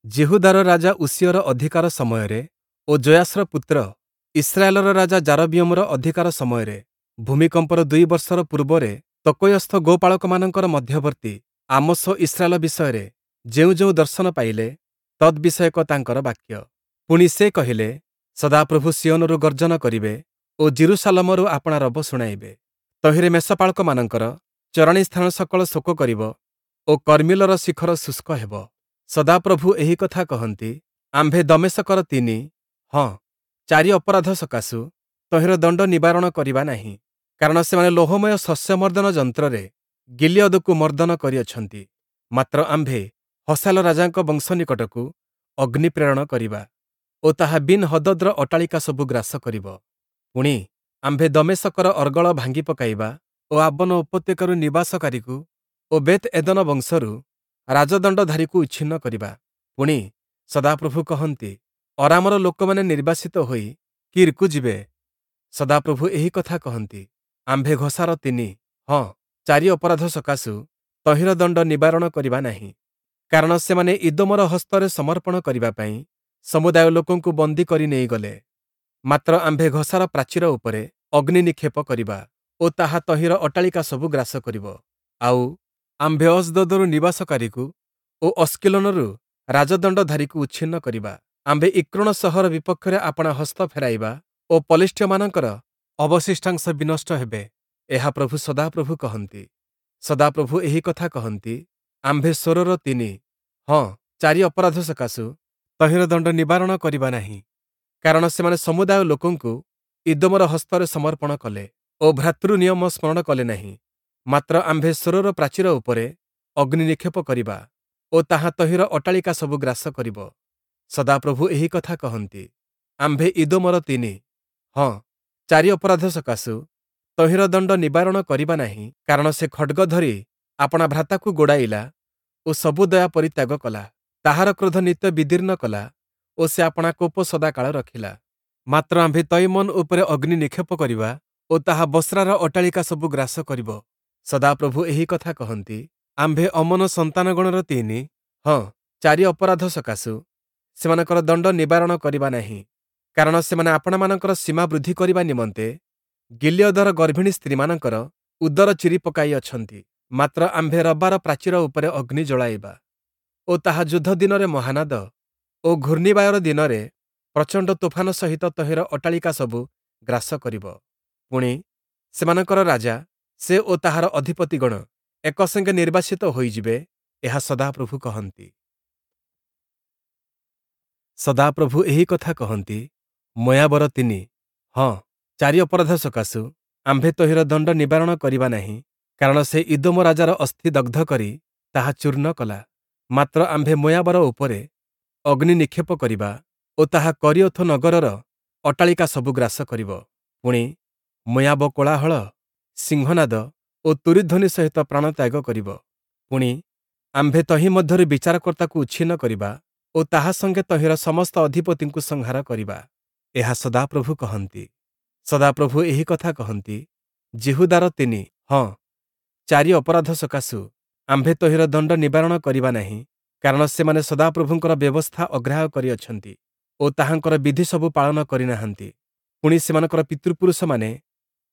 ଯିହୁଦାର ରାଜା ଉଷିୟର ଅଧିକାର ସମୟରେ ଓ ଯୋୟାଶର ପୁତ୍ର ଇସ୍ରାଏଲର ରାଜା ଯାରବିୟମର ଅଧିକାର ସମୟରେ ଭୂମିକମ୍ପର 2 ବର୍ଷର ପୂର୍ବରେ ତକୋୟସ୍ଥ ଗୋପାଳକମାନଙ୍କର ମଧ୍ୟବର୍ତ୍ତୀ ଆମୋସ ଇସ୍ରାଏଲ ବିଷୟରେ ଯେଉଁ ଯେଉଁ ଦର୍ଶନ ପାଇଲେ, ତଦ୍‌ବିଷୟକ ତାଙ୍କର ବାକ୍ୟ। ପୁଣି ସେ କହିଲେ, ସଦାପ୍ରଭୁ ସିୟୋନରୁ ଗର୍ଜନ କରିବେ ଓ ଯିରୂଶାଲମରୁ ଆପଣା ରବ ଶୁଣାଇବେ। ତହିଁରେ ମେଷପାଳକମାନଙ୍କର ଚରାଣୀ ସ୍ଥାନ ସକଳ ଶୋକ କରିବ ଓ କର୍ମିଲର ଶିଖର ଶୁଷ୍କ ହେବ। ସଦାପ୍ରଭୁ ଏହି କଥା କହନ୍ତି, ଆମ୍ଭେ ଦମେଶକର 3, ହଁ, 4 ଅପରାଧ ସକାଶୁ ତହିଁର ଦଣ୍ଡ ନିବାରଣ କରିବା ନାହିଁ। କାରଣ ସେମାନେ ଲୋହମୟ ଶସ୍ୟମର୍ଦ୍ଦନ ଯନ୍ତ୍ରରେ ଗିଲିୟଦକୁ ମର୍ଦ୍ଦନ କରିଅଛନ୍ତି। ମାତ୍ର ଆମ୍ଭେ ହସାୟେଲ ରାଜାଙ୍କ ବଂଶ ନିକଟକୁ ଅଗ୍ନି ପ୍ରେରଣ କରିବା ଓ ତାହା ବିନ୍ ହଦଦର ଅଟ୍ଟାଳିକା ସବୁ ଗ୍ରାସ କରିବ। ପୁଣି, ଆମ୍ଭେ ଦମେଶକର ଅର୍ଗଳ ଭାଙ୍ଗି ପକାଇବା ଓ ଆବନ ଉପତ୍ୟକାରୁ ନିବାସକାରୀକୁ ଓ ବେତ୍ ଏଦନ ବଂଶରୁ ରାଜଦଣ୍ଡଧାରୀକୁ ଉଚ୍ଛିନ୍ନ କରିବା। ପୁଣି, ସଦାପ୍ରଭୁ କହନ୍ତି, ଅରାମର ଲୋକମାନେ ନିର୍ବାସିତ ହୋଇ କୀର୍‌କୁ ଯିବେ। ସଦାପ୍ରଭୁ ଏହି କଥା କହନ୍ତି, ଆମ୍ଭେ ଘସାର 3, ହଁ, 4 ଅପରାଧ ସକାଶୁ ତହିଁର ଦଣ୍ଡ ନିବାରଣ କରିବା ନାହିଁ। କାରଣ ସେମାନେ ଇଦୋମର ହସ୍ତରେ ସମର୍ପଣ କରିବା ପାଇଁ ସମୁଦାୟ ଲୋକଙ୍କୁ ବନ୍ଦୀ କରି ନେଇଗଲେ। ମାତ୍ର ଆମ୍ଭେ ଘସାର ପ୍ରାଚୀର ଉପରେ ଅଗ୍ନି ନିକ୍ଷେପ କରିବା ଓ ତାହା ତହିଁର ଅଟ୍ଟାଳିକା ସବୁ ଗ୍ରାସ କରିବ। ଆଉ ଆମ୍ଭେ ଅସ୍ଦୋଦରୁ ନିବାସକାରୀକୁ ଓ ଅସ୍କିଲୋନରୁ ରାଜଦଣ୍ଡଧାରୀକୁ ଉଚ୍ଛିନ୍ନ କରିବା। ଆମ୍ଭେ ଇକ୍ରୋଣ ସହର ବିପକ୍ଷରେ ଆପଣା ହସ୍ତ ଫେରାଇବା ଓ ପଲେଷ୍ଟୀୟମାନଙ୍କର ଅବଶିଷ୍ଟାଂଶ ବିନଷ୍ଟ ହେବେ। ଏହା ପ୍ରଭୁ ସଦାପ୍ରଭୁ କହନ୍ତି। ସଦାପ୍ରଭୁ ଏହି କଥା କହନ୍ତି, ଆମ୍ଭେ ସୋରର 3, ହଁ, 4 ଅପରାଧ ସକାଶୁ ତହିଁର ଦଣ୍ଡ ନିବାରଣ କରିବା ନାହିଁ। କାରଣ ସେମାନେ ସମୁଦାୟ ଲୋକଙ୍କୁ ଇଦୋମର ହସ୍ତରେ ସମର୍ପଣ କଲେ ଓ ଭ୍ରାତୃ ନିୟମ ସ୍ମରଣ କଲେ ନାହିଁ। ମାତ୍ର ଆମ୍ଭେ ସୋରର ପ୍ରାଚୀର ଉପରେ ଅଗ୍ନି ନିକ୍ଷେପ କରିବା ଓ ତାହା ତହିଁର ଅଟ୍ଟାଳିକା ସବୁ ଗ୍ରାସ କରିବ। ସଦାପ୍ରଭୁ ଏହି କଥା କହନ୍ତି, ଆମ୍ଭେ ଇଦୋମର 3, ହଁ, 4 ଅପରାଧ ସକାଶୁ ତହିଁର ଦଣ୍ଡ ନିବାରଣ କରିବା ନାହିଁ। କାରଣ ସେ ଖଡ଼୍ଗ ଧରି ଆପଣା ଭ୍ରାତାକୁ ଗୋଡ଼ାଇଲା ଓ ସବୁ ଦୟା ପରିତ୍ୟାଗ କଲା। ତାହାର କ୍ରୋଧ ନିତ୍ୟ ବିଦୀର୍ଣ୍ଣ କଲା ଓ ସେ ଆପଣା କୋପ ସଦାକାଳ ରଖିଲା। ମାତ୍ର ଆମ୍ଭେ ତୈମନ ଉପରେ ଅଗ୍ନି ନିକ୍ଷେପ କରିବା ଓ ତାହା ବସ୍ରାର ଅଟ୍ଟାଳିକା ସବୁ ଗ୍ରାସ କରିବ। ସଦାପ୍ରଭୁ ଏହି କଥା କହନ୍ତି, ଆମ୍ଭେ ଅମ୍ମୋନ ସନ୍ତାନଗଣର 3, ହଁ, 4 ଅପରାଧ ସକାଶୁ ସେମାନଙ୍କର ଦଣ୍ଡ ନିବାରଣ କରିବା ନାହିଁ। କାରଣ ସେମାନେ ଆପଣାମାନଙ୍କର ସୀମା ବୃଦ୍ଧି କରିବା ନିମନ୍ତେ ଗିଲିୟଦର ଗର୍ଭିଣୀ ସ୍ତ୍ରୀମାନଙ୍କର ଉଦର ଚିରି ପକାଇ ଅଛନ୍ତି। ମାତ୍ର ଆମ୍ଭେ ରବାର ପ୍ରାଚୀର ଉପରେ ଅଗ୍ନି ଜଳାଇବା ଓ ତାହା ଯୁଦ୍ଧ ଦିନରେ ମହାନାଦ ଓ ଘୂର୍ଣ୍ଣିବାୟୁର ଦିନରେ ପ୍ରଚଣ୍ଡ ତୋଫାନ ସହିତ ତହିଁର ଅଟ୍ଟାଳିକା ସବୁ ଗ୍ରାସ କରିବ। ପୁଣି, ସେମାନଙ୍କର ରାଜା, ସେ ଓ ତାହାର ଅଧିପତିଗଣ ଏକସଙ୍ଗେ ନିର୍ବାସିତ ହୋଇଯିବେ। ଏହା ସଦାପ୍ରଭୁ କହନ୍ତି। ସଦାପ୍ରଭୁ ଏହି କଥା କହନ୍ତି, ମୋୟାବର 3, ହଁ, 4 ଅପରାଧ ସକାଶୁ ଆମ୍ଭେ ତହିଁର ଦଣ୍ଡ ନିବାରଣ କରିବା ନାହିଁ। କାରଣ ସେ ଇଦୋମ ରାଜାର ଅସ୍ଥି ଦଗ୍ଧ କରି ତାହା ଚୂର୍ଣ୍ଣ କଲା। ମାତ୍ର ଆମ୍ଭେ ମୋୟାବର ଉପରେ ଅଗ୍ନି ନିକ୍ଷେପ କରିବା ଓ ତାହା କରିୟୋଥ ନଗରର ଅଟ୍ଟାଳିକା ସବୁ ଗ୍ରାସ କରିବ। ପୁଣି, ମୋୟାବ କୋଳାହଳ, ସିଂହନାଦ ଓ ତୂରୀଧ୍ୱନି ସହିତ ପ୍ରାଣତ୍ୟାଗ କରିବ। ପୁଣି, ଆମ୍ଭେ ତହିଁ ମଧ୍ୟରୁ ବିଚାରକର୍ତ୍ତାକୁ ଉଚ୍ଛିନ୍ନ କରିବା ଓ ତାହା ସଙ୍ଗେ ତହିଁର ସମସ୍ତ ଅଧିପତିଙ୍କୁ ସଂହାର କରିବା। ଏହା ସଦାପ୍ରଭୁ କହନ୍ତି। ସଦାପ୍ରଭୁ ଏହି କଥା କହନ୍ତି, ଯିହୁଦାର 3, ହଁ, 4 ଅପରାଧ ସକାଶୁ ଆମ୍ଭେ ତହିଁର ଦଣ୍ଡ ନିବାରଣ କରିବା ନାହିଁ। କାରଣ ସେମାନେ ସଦାପ୍ରଭୁଙ୍କର ବ୍ୟବସ୍ଥା ଅଗ୍ରାହ୍ୟ କରିଅଛନ୍ତି ଓ ତାହାଙ୍କର ବିଧି ସବୁ ପାଳନ କରିନାହାନ୍ତି। ପୁଣି, ସେମାନଙ୍କର ପିତୃପୁରୁଷମାନେ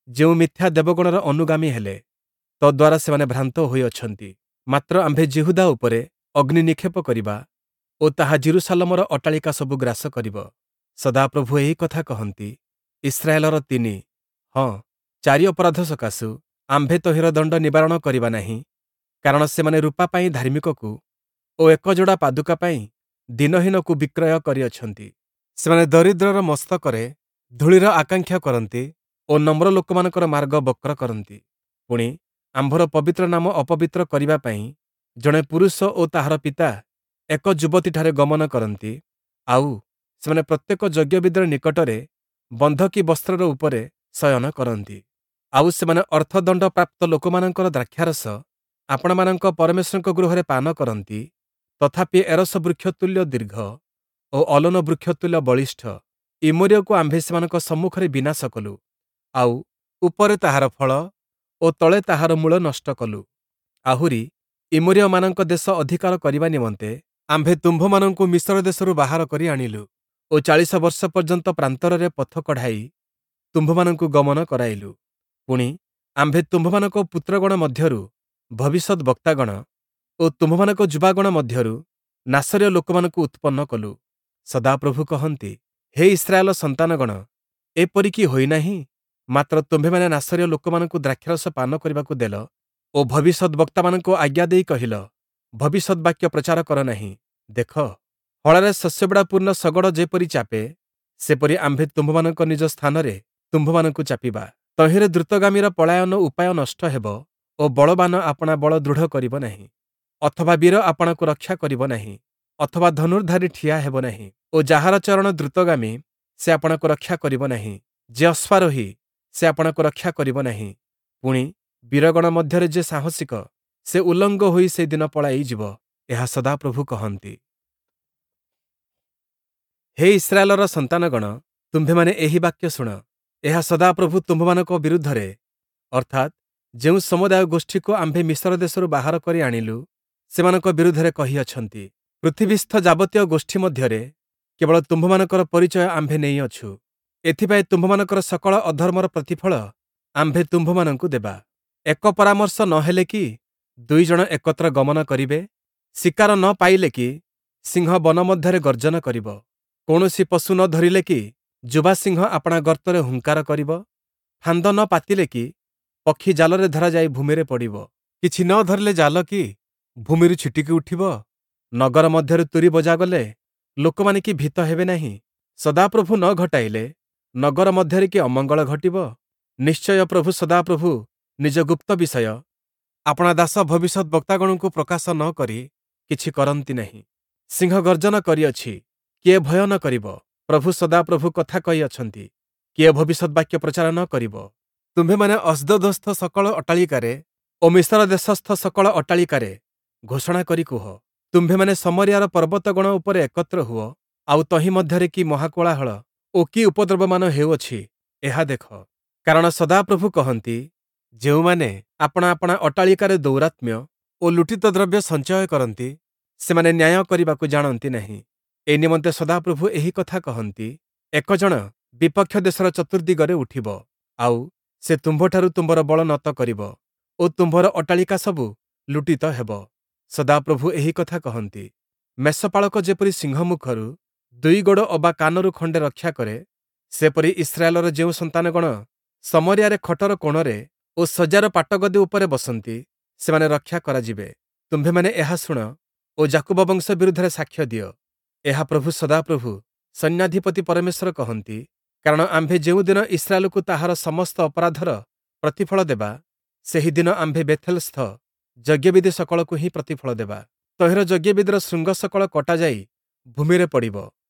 ଯେଉଁ ମିଥ୍ୟା ଦେବଗଣର ଅନୁଗାମୀ ହେଲେ, ତଦ୍ୱାରା ସେମାନେ ଭ୍ରାନ୍ତ ହୋଇଅଛନ୍ତି। ମାତ୍ର ଆମ୍ଭେ ଯିହୁଦା ଉପରେ ଅଗ୍ନି ନିକ୍ଷେପ କରିବା ଓ ତାହା ଯିରୂଶାଲମର ଅଟ୍ଟାଳିକା ସବୁ ଗ୍ରାସ କରିବ। ସଦାପ୍ରଭୁ ଏହି କଥା କହନ୍ତି, ଇସ୍ରାଏଲର 3, ହଁ, 4 ଅପରାଧ ସକାଶୁ ଆମ୍ଭେ ତହିଁର ଦଣ୍ଡ ନିବାରଣ କରିବା ନାହିଁ। କାରଣ ସେମାନେ ରୂପା ପାଇଁ ଧାର୍ମିକକୁ ଓ ଏକ ଯୋଡ଼ା ପାଦୁକା ପାଇଁ ଦୀନହୀନକୁ ବିକ୍ରୟ କରିଅଛନ୍ତି। ସେମାନେ ଦରିଦ୍ରର ମସ୍ତକରେ ଧୂଳିର ଆକାଂକ୍ଷା କରନ୍ତି ଓ ନମ୍ର ଲୋକମାନଙ୍କର ମାର୍ଗ ବକ୍ର କରନ୍ତି। ପୁଣି, ଆମ୍ଭର ପବିତ୍ର ନାମ ଅପବିତ୍ର କରିବା ପାଇଁ ଜଣେ ପୁରୁଷ ଓ ତାହାର ପିତା ଏକ ଯୁବତୀଠାରେ ଗମନ କରନ୍ତି। ଆଉ ସେମାନେ ପ୍ରତ୍ୟେକ ଯଜ୍ଞବେଦୀର ନିକଟରେ ବନ୍ଧକୀ ବସ୍ତ୍ରର ଉପରେ ଶୟନ କରନ୍ତି। ଆଉ ସେମାନେ ଅର୍ଥଦଣ୍ଡ ପ୍ରାପ୍ତ ଲୋକମାନଙ୍କର ଦ୍ରାକ୍ଷାରସ ଆପଣମାନଙ୍କ ପରମେଶ୍ୱରଙ୍କ ଗୃହରେ ପାନ କରନ୍ତି। ତଥାପି ଏରସ ବୃକ୍ଷ ତୁଲ୍ୟ ଦୀର୍ଘ ଓ ଅଲୋନ ବୃକ୍ଷ ତୁଲ୍ୟ ବଳିଷ୍ଠ ଇମୋରୀୟକୁ ଆମ୍ଭେ ସେମାନଙ୍କ ସମ୍ମୁଖରେ ବିନାଶ କଲୁ, ଆଉ ଉପରେ ତାହାର ଫଳ ଓ ତଳେ ତାହାର ମୂଳ ନଷ୍ଟ କଲୁ। ଆହୁରି ଇମୋରୀୟମାନଙ୍କ ଦେଶ ଅଧିକାର କରିବା ନିମନ୍ତେ ଆମ୍ଭେ ତୁମ୍ଭମାନଙ୍କୁ ମିଶର ଦେଶରୁ ବାହାର କରି ଆଣିଲୁ ଓ 40 ବର୍ଷ ପର୍ଯ୍ୟନ୍ତ ପ୍ରାନ୍ତରରେ ପଥ କଢ଼ାଇ ତୁମ୍ଭମାନଙ୍କୁ ଗମନ କରାଇଲୁ। ପୁଣି, ଆମ୍ଭେ ତୁମ୍ଭମାନଙ୍କ ପୁତ୍ରଗଣ ମଧ୍ୟରୁ ଭବିଷ୍ୟଦ୍‌ବକ୍ତାଗଣ ଓ ତୁମ୍ଭମାନଙ୍କ ଯୁବାଗଣ ମଧ୍ୟରୁ ନାସରୀୟ ଲୋକମାନଙ୍କୁ ଉତ୍ପନ୍ନ କଲୁ। ସଦାପ୍ରଭୁ କହନ୍ତି, ହେ ଇସ୍ରାଏଲ ସନ୍ତାନଗଣ, ଏପରି କି ହୋଇନାହିଁ? ମାତ୍ର ତୁମ୍ଭେମାନେ ନାସରୀୟ ଲୋକମାନଙ୍କୁ ଦ୍ରାକ୍ଷାରସ ପାନ କରିବାକୁ ଦେଲ ଓ ଭବିଷ୍ୟଦ୍‌ବକ୍ତାମାନଙ୍କୁ ଆଜ୍ଞା ଦେଇ କହିଲ, ଭବିଷ୍ୟଦ୍‌ବାକ୍ୟ ପ୍ରଚାର କର ନାହିଁ। ଦେଖ, ହଳରେ ଶସ୍ୟବିଡ଼ା ପୂର୍ଣ୍ଣ ଶଗଡ଼ ଯେପରି ଚାପେ, ସେପରି ଆମ୍ଭେ ତୁମ୍ଭମାନଙ୍କ ନିଜ ସ୍ଥାନରେ ତୁମ୍ଭମାନଙ୍କୁ ଚାପିବା। ତହିଁରେ ଦ୍ରୁତଗାମୀର ପଳାୟନ ଉପାୟ ନଷ୍ଟ ହେବ ଓ ବଳବାନ ଆପଣା ବଳ ଦୃଢ଼ କରିବ ନାହିଁ, ଅଥବା ବୀର ଆପଣାକୁ ରକ୍ଷା କରିବ ନାହିଁ, ଅଥବା ଧନୁର୍ଦ୍ଧାରୀ ଠିଆ ହେବ ନାହିଁ, ଓ ଯାହାର ଚରଣ ଦ୍ରୁତଗାମୀ, ସେ ଆପଣାକୁ ରକ୍ଷା କରିବ ନାହିଁ, ଯେ ଅଶ୍ୱାରୋହୀ, ସେ ଆପଣାକୁ ରକ୍ଷା କରିବ ନାହିଁ। ପୁଣି, ବୀରଗଣ ମଧ୍ୟରେ ଯେ ସାହସିକ, ସେ ଉଲଙ୍ଗ ହୋଇ ସେଦିନ ପଳାଇଯିବ। ଏହା ସଦାପ୍ରଭୁ କହନ୍ତି। ହେ ଇସ୍ରାଏଲର ସନ୍ତାନଗଣ, ତୁମ୍ଭେମାନେ ଏହି ବାକ୍ୟ ଶୁଣ। ଏହା ସଦାପ୍ରଭୁ ତୁମ୍ଭମାନଙ୍କ ବିରୁଦ୍ଧରେ, ଅର୍ଥାତ୍, ଯେଉଁ ସମୁଦାୟ ଗୋଷ୍ଠୀକୁ ଆମ୍ଭେ ମିଶର ଦେଶରୁ ବାହାର କରି ଆଣିଲୁ, ସେମାନଙ୍କ ବିରୁଦ୍ଧରେ କହିଅଛନ୍ତି। ପୃଥିବୀସ୍ଥ ଯାବତୀୟ ଗୋଷ୍ଠୀ ମଧ୍ୟରେ କେବଳ ତୁମ୍ଭମାନଙ୍କର ପରିଚୟ ଆମ୍ଭେ ନେଇଅଛୁ। ଏଥିପାଇଁ ତୁମ୍ଭମାନଙ୍କର ସକଳ ଅଧର୍ମର ପ୍ରତିଫଳ ଆମ୍ଭେ ତୁମ୍ଭମାନଙ୍କୁ ଦେବା। ଏକ ପରାମର୍ଶ ନ ହେଲେ କି ଦୁଇ ଜଣ ଏକତ୍ର ଗମନ କରିବେ? ଶିକାର ନ ପାଇଲେ କି ସିଂହ ବନ ମଧ୍ୟରେ ଗର୍ଜନ କରିବ? କୌଣସି ପଶୁ ନ ଧରିଲେ କି ଯୁବା ସିଂହ ଆପଣା ଗର୍ତ୍ତରେ ହୁଙ୍କାର କରିବ? ଫାନ୍ଦ ନ ପାତିଲେ କି ପକ୍ଷୀ ଜାଲରେ ଧରାଯାଇ ଭୂମିରେ ପଡ଼ିବ? କିଛି ନ ଧରିଲେ ଜାଲ କି ଭୂମିରୁ ଛିଟିକି ଉଠିବ? ନଗର ମଧ୍ୟରେ ତୂରୀ ବଜାଗଲେ ଲୋକମାନେ କି ଭୀତ ହେବେ ନାହିଁ? ସଦାପ୍ରଭୁ ନ ଘଟାଇଲେ ନଗର ମଧ୍ୟରେ କି ଅମଙ୍ଗଳ ଘଟିବ? ନିଶ୍ଚୟ ପ୍ରଭୁ ସଦାପ୍ରଭୁ ନିଜ ଗୁପ୍ତ ବିଷୟ ଆପଣା ଦାସ ଭବିଷ୍ୟଦ୍‌ବକ୍ତାଗଣଙ୍କୁ ପ୍ରକାଶ ନ କରି କିଛି କରନ୍ତି ନାହିଁ। ସିଂହ ଗର୍ଜନ କରିଅଛି, କିଏ ଭୟ ନ କରିବ? ପ୍ରଭୁ ସଦାପ୍ରଭୁ କଥା କହିଅଛନ୍ତି, କିଏ ଭବିଷ୍ୟଦ୍‌ବାକ୍ୟ ପ୍ରଚାର ନ କରିବ? ତୁମ୍ଭେମାନେ ଅସ୍ଦୋଦସ୍ଥ ସକଳ ଅଟ୍ଟାଳିକାରେ ଓ ମିଶର ଦେଶସ୍ଥ ସକଳ ଅଟ୍ଟାଳିକାରେ ଘୋଷଣା କରି କୁହ, ତୁମ୍ଭେମାନେ ଶମରିୟାର ପର୍ବତଗଣ ଉପରେ ଏକତ୍ର ହୁଅ, ଆଉ ତହିଁ ମଧ୍ୟରେ କି ମହାକୋଳାହଳ ଓ କି ଉପଦ୍ରବମାନ ହେଉଅଛି, ଏହା ଦେଖ। କାରଣ ସଦାପ୍ରଭୁ କହନ୍ତି, ଯେଉଁମାନେ ଆପଣା ଆପଣା ଅଟ୍ଟାଳିକାରେ ଦୌରାତ୍ମ୍ୟ ଓ ଲୁଟିତ ଦ୍ରବ୍ୟ ସଞ୍ଚୟ କରନ୍ତି, ସେମାନେ ନ୍ୟାୟ କରିବାକୁ ଜାଣନ୍ତି ନାହିଁ। ଏ ନିମନ୍ତେ ସଦାପ୍ରଭୁ ଏହି କଥା କହନ୍ତି, ଏକ ଜଣ ବିପକ୍ଷ ଦେଶର ଚତୁର୍ଦ୍ଦିଗରେ ଉଠିବ, ଆଉ ସେ ତୁମ୍ଭଠାରୁ ତୁମ୍ଭର ବଳ ନତ କରିବ ଓ ତୁମ୍ଭର ଅଟ୍ଟାଳିକା ସବୁ ଲୁଟିତ ହେବ। ସଦାପ୍ରଭୁ ଏହି କଥା କହନ୍ତି, ମେଷପାଳକ ଯେପରି ସିଂହ ମୁଖରୁ ଦୁଇ ଗୋଡ଼ ଅବା କାନରୁ ଖଣ୍ଡେ ରକ୍ଷା କରେ, ସେପରି ଇସ୍ରାଏଲର ଯେଉଁ ସନ୍ତାନଗଣ ଶମରିୟାରେ ଖଟର କୋଣରେ ଓ ଶଯ୍ୟାର ପାଟଗଦି ଉପରେ ବସନ୍ତି, ସେମାନେ ରକ୍ଷା କରାଯିବେ। ତୁମ୍ଭେମାନେ ଏହା ଶୁଣ ଓ ଯାକୁବ ବଂଶ ବିରୁଦ୍ଧରେ ସାକ୍ଷ୍ୟ ଦିଅ। ଏହା ପ୍ରଭୁ ସଦାପ୍ରଭୁ ସୈନ୍ୟାଧିପତି ପରମେଶ୍ୱର କହନ୍ତି, କାରଣ ଆମ୍ଭେ ଯେଉଁଦିନ ଇସ୍ରାଏଲକୁ ତାହାର ସମସ୍ତ ଅପରାଧର ପ୍ରତିଫଳ ଦେବା, ସେହିଦିନ ଆମ୍ଭେ ବେଥେଲସ୍ଥ ଯଜ୍ଞବେଦି ସକଳକୁ ହିଁ ପ୍ରତିଫଳ ଦେବା। ତହିଁର ଯଜ୍ଞବେଦିର ଶୃଙ୍ଗ ସକଳ କଟାଯାଇ ଭୂମିରେ ପଡ଼ିବ।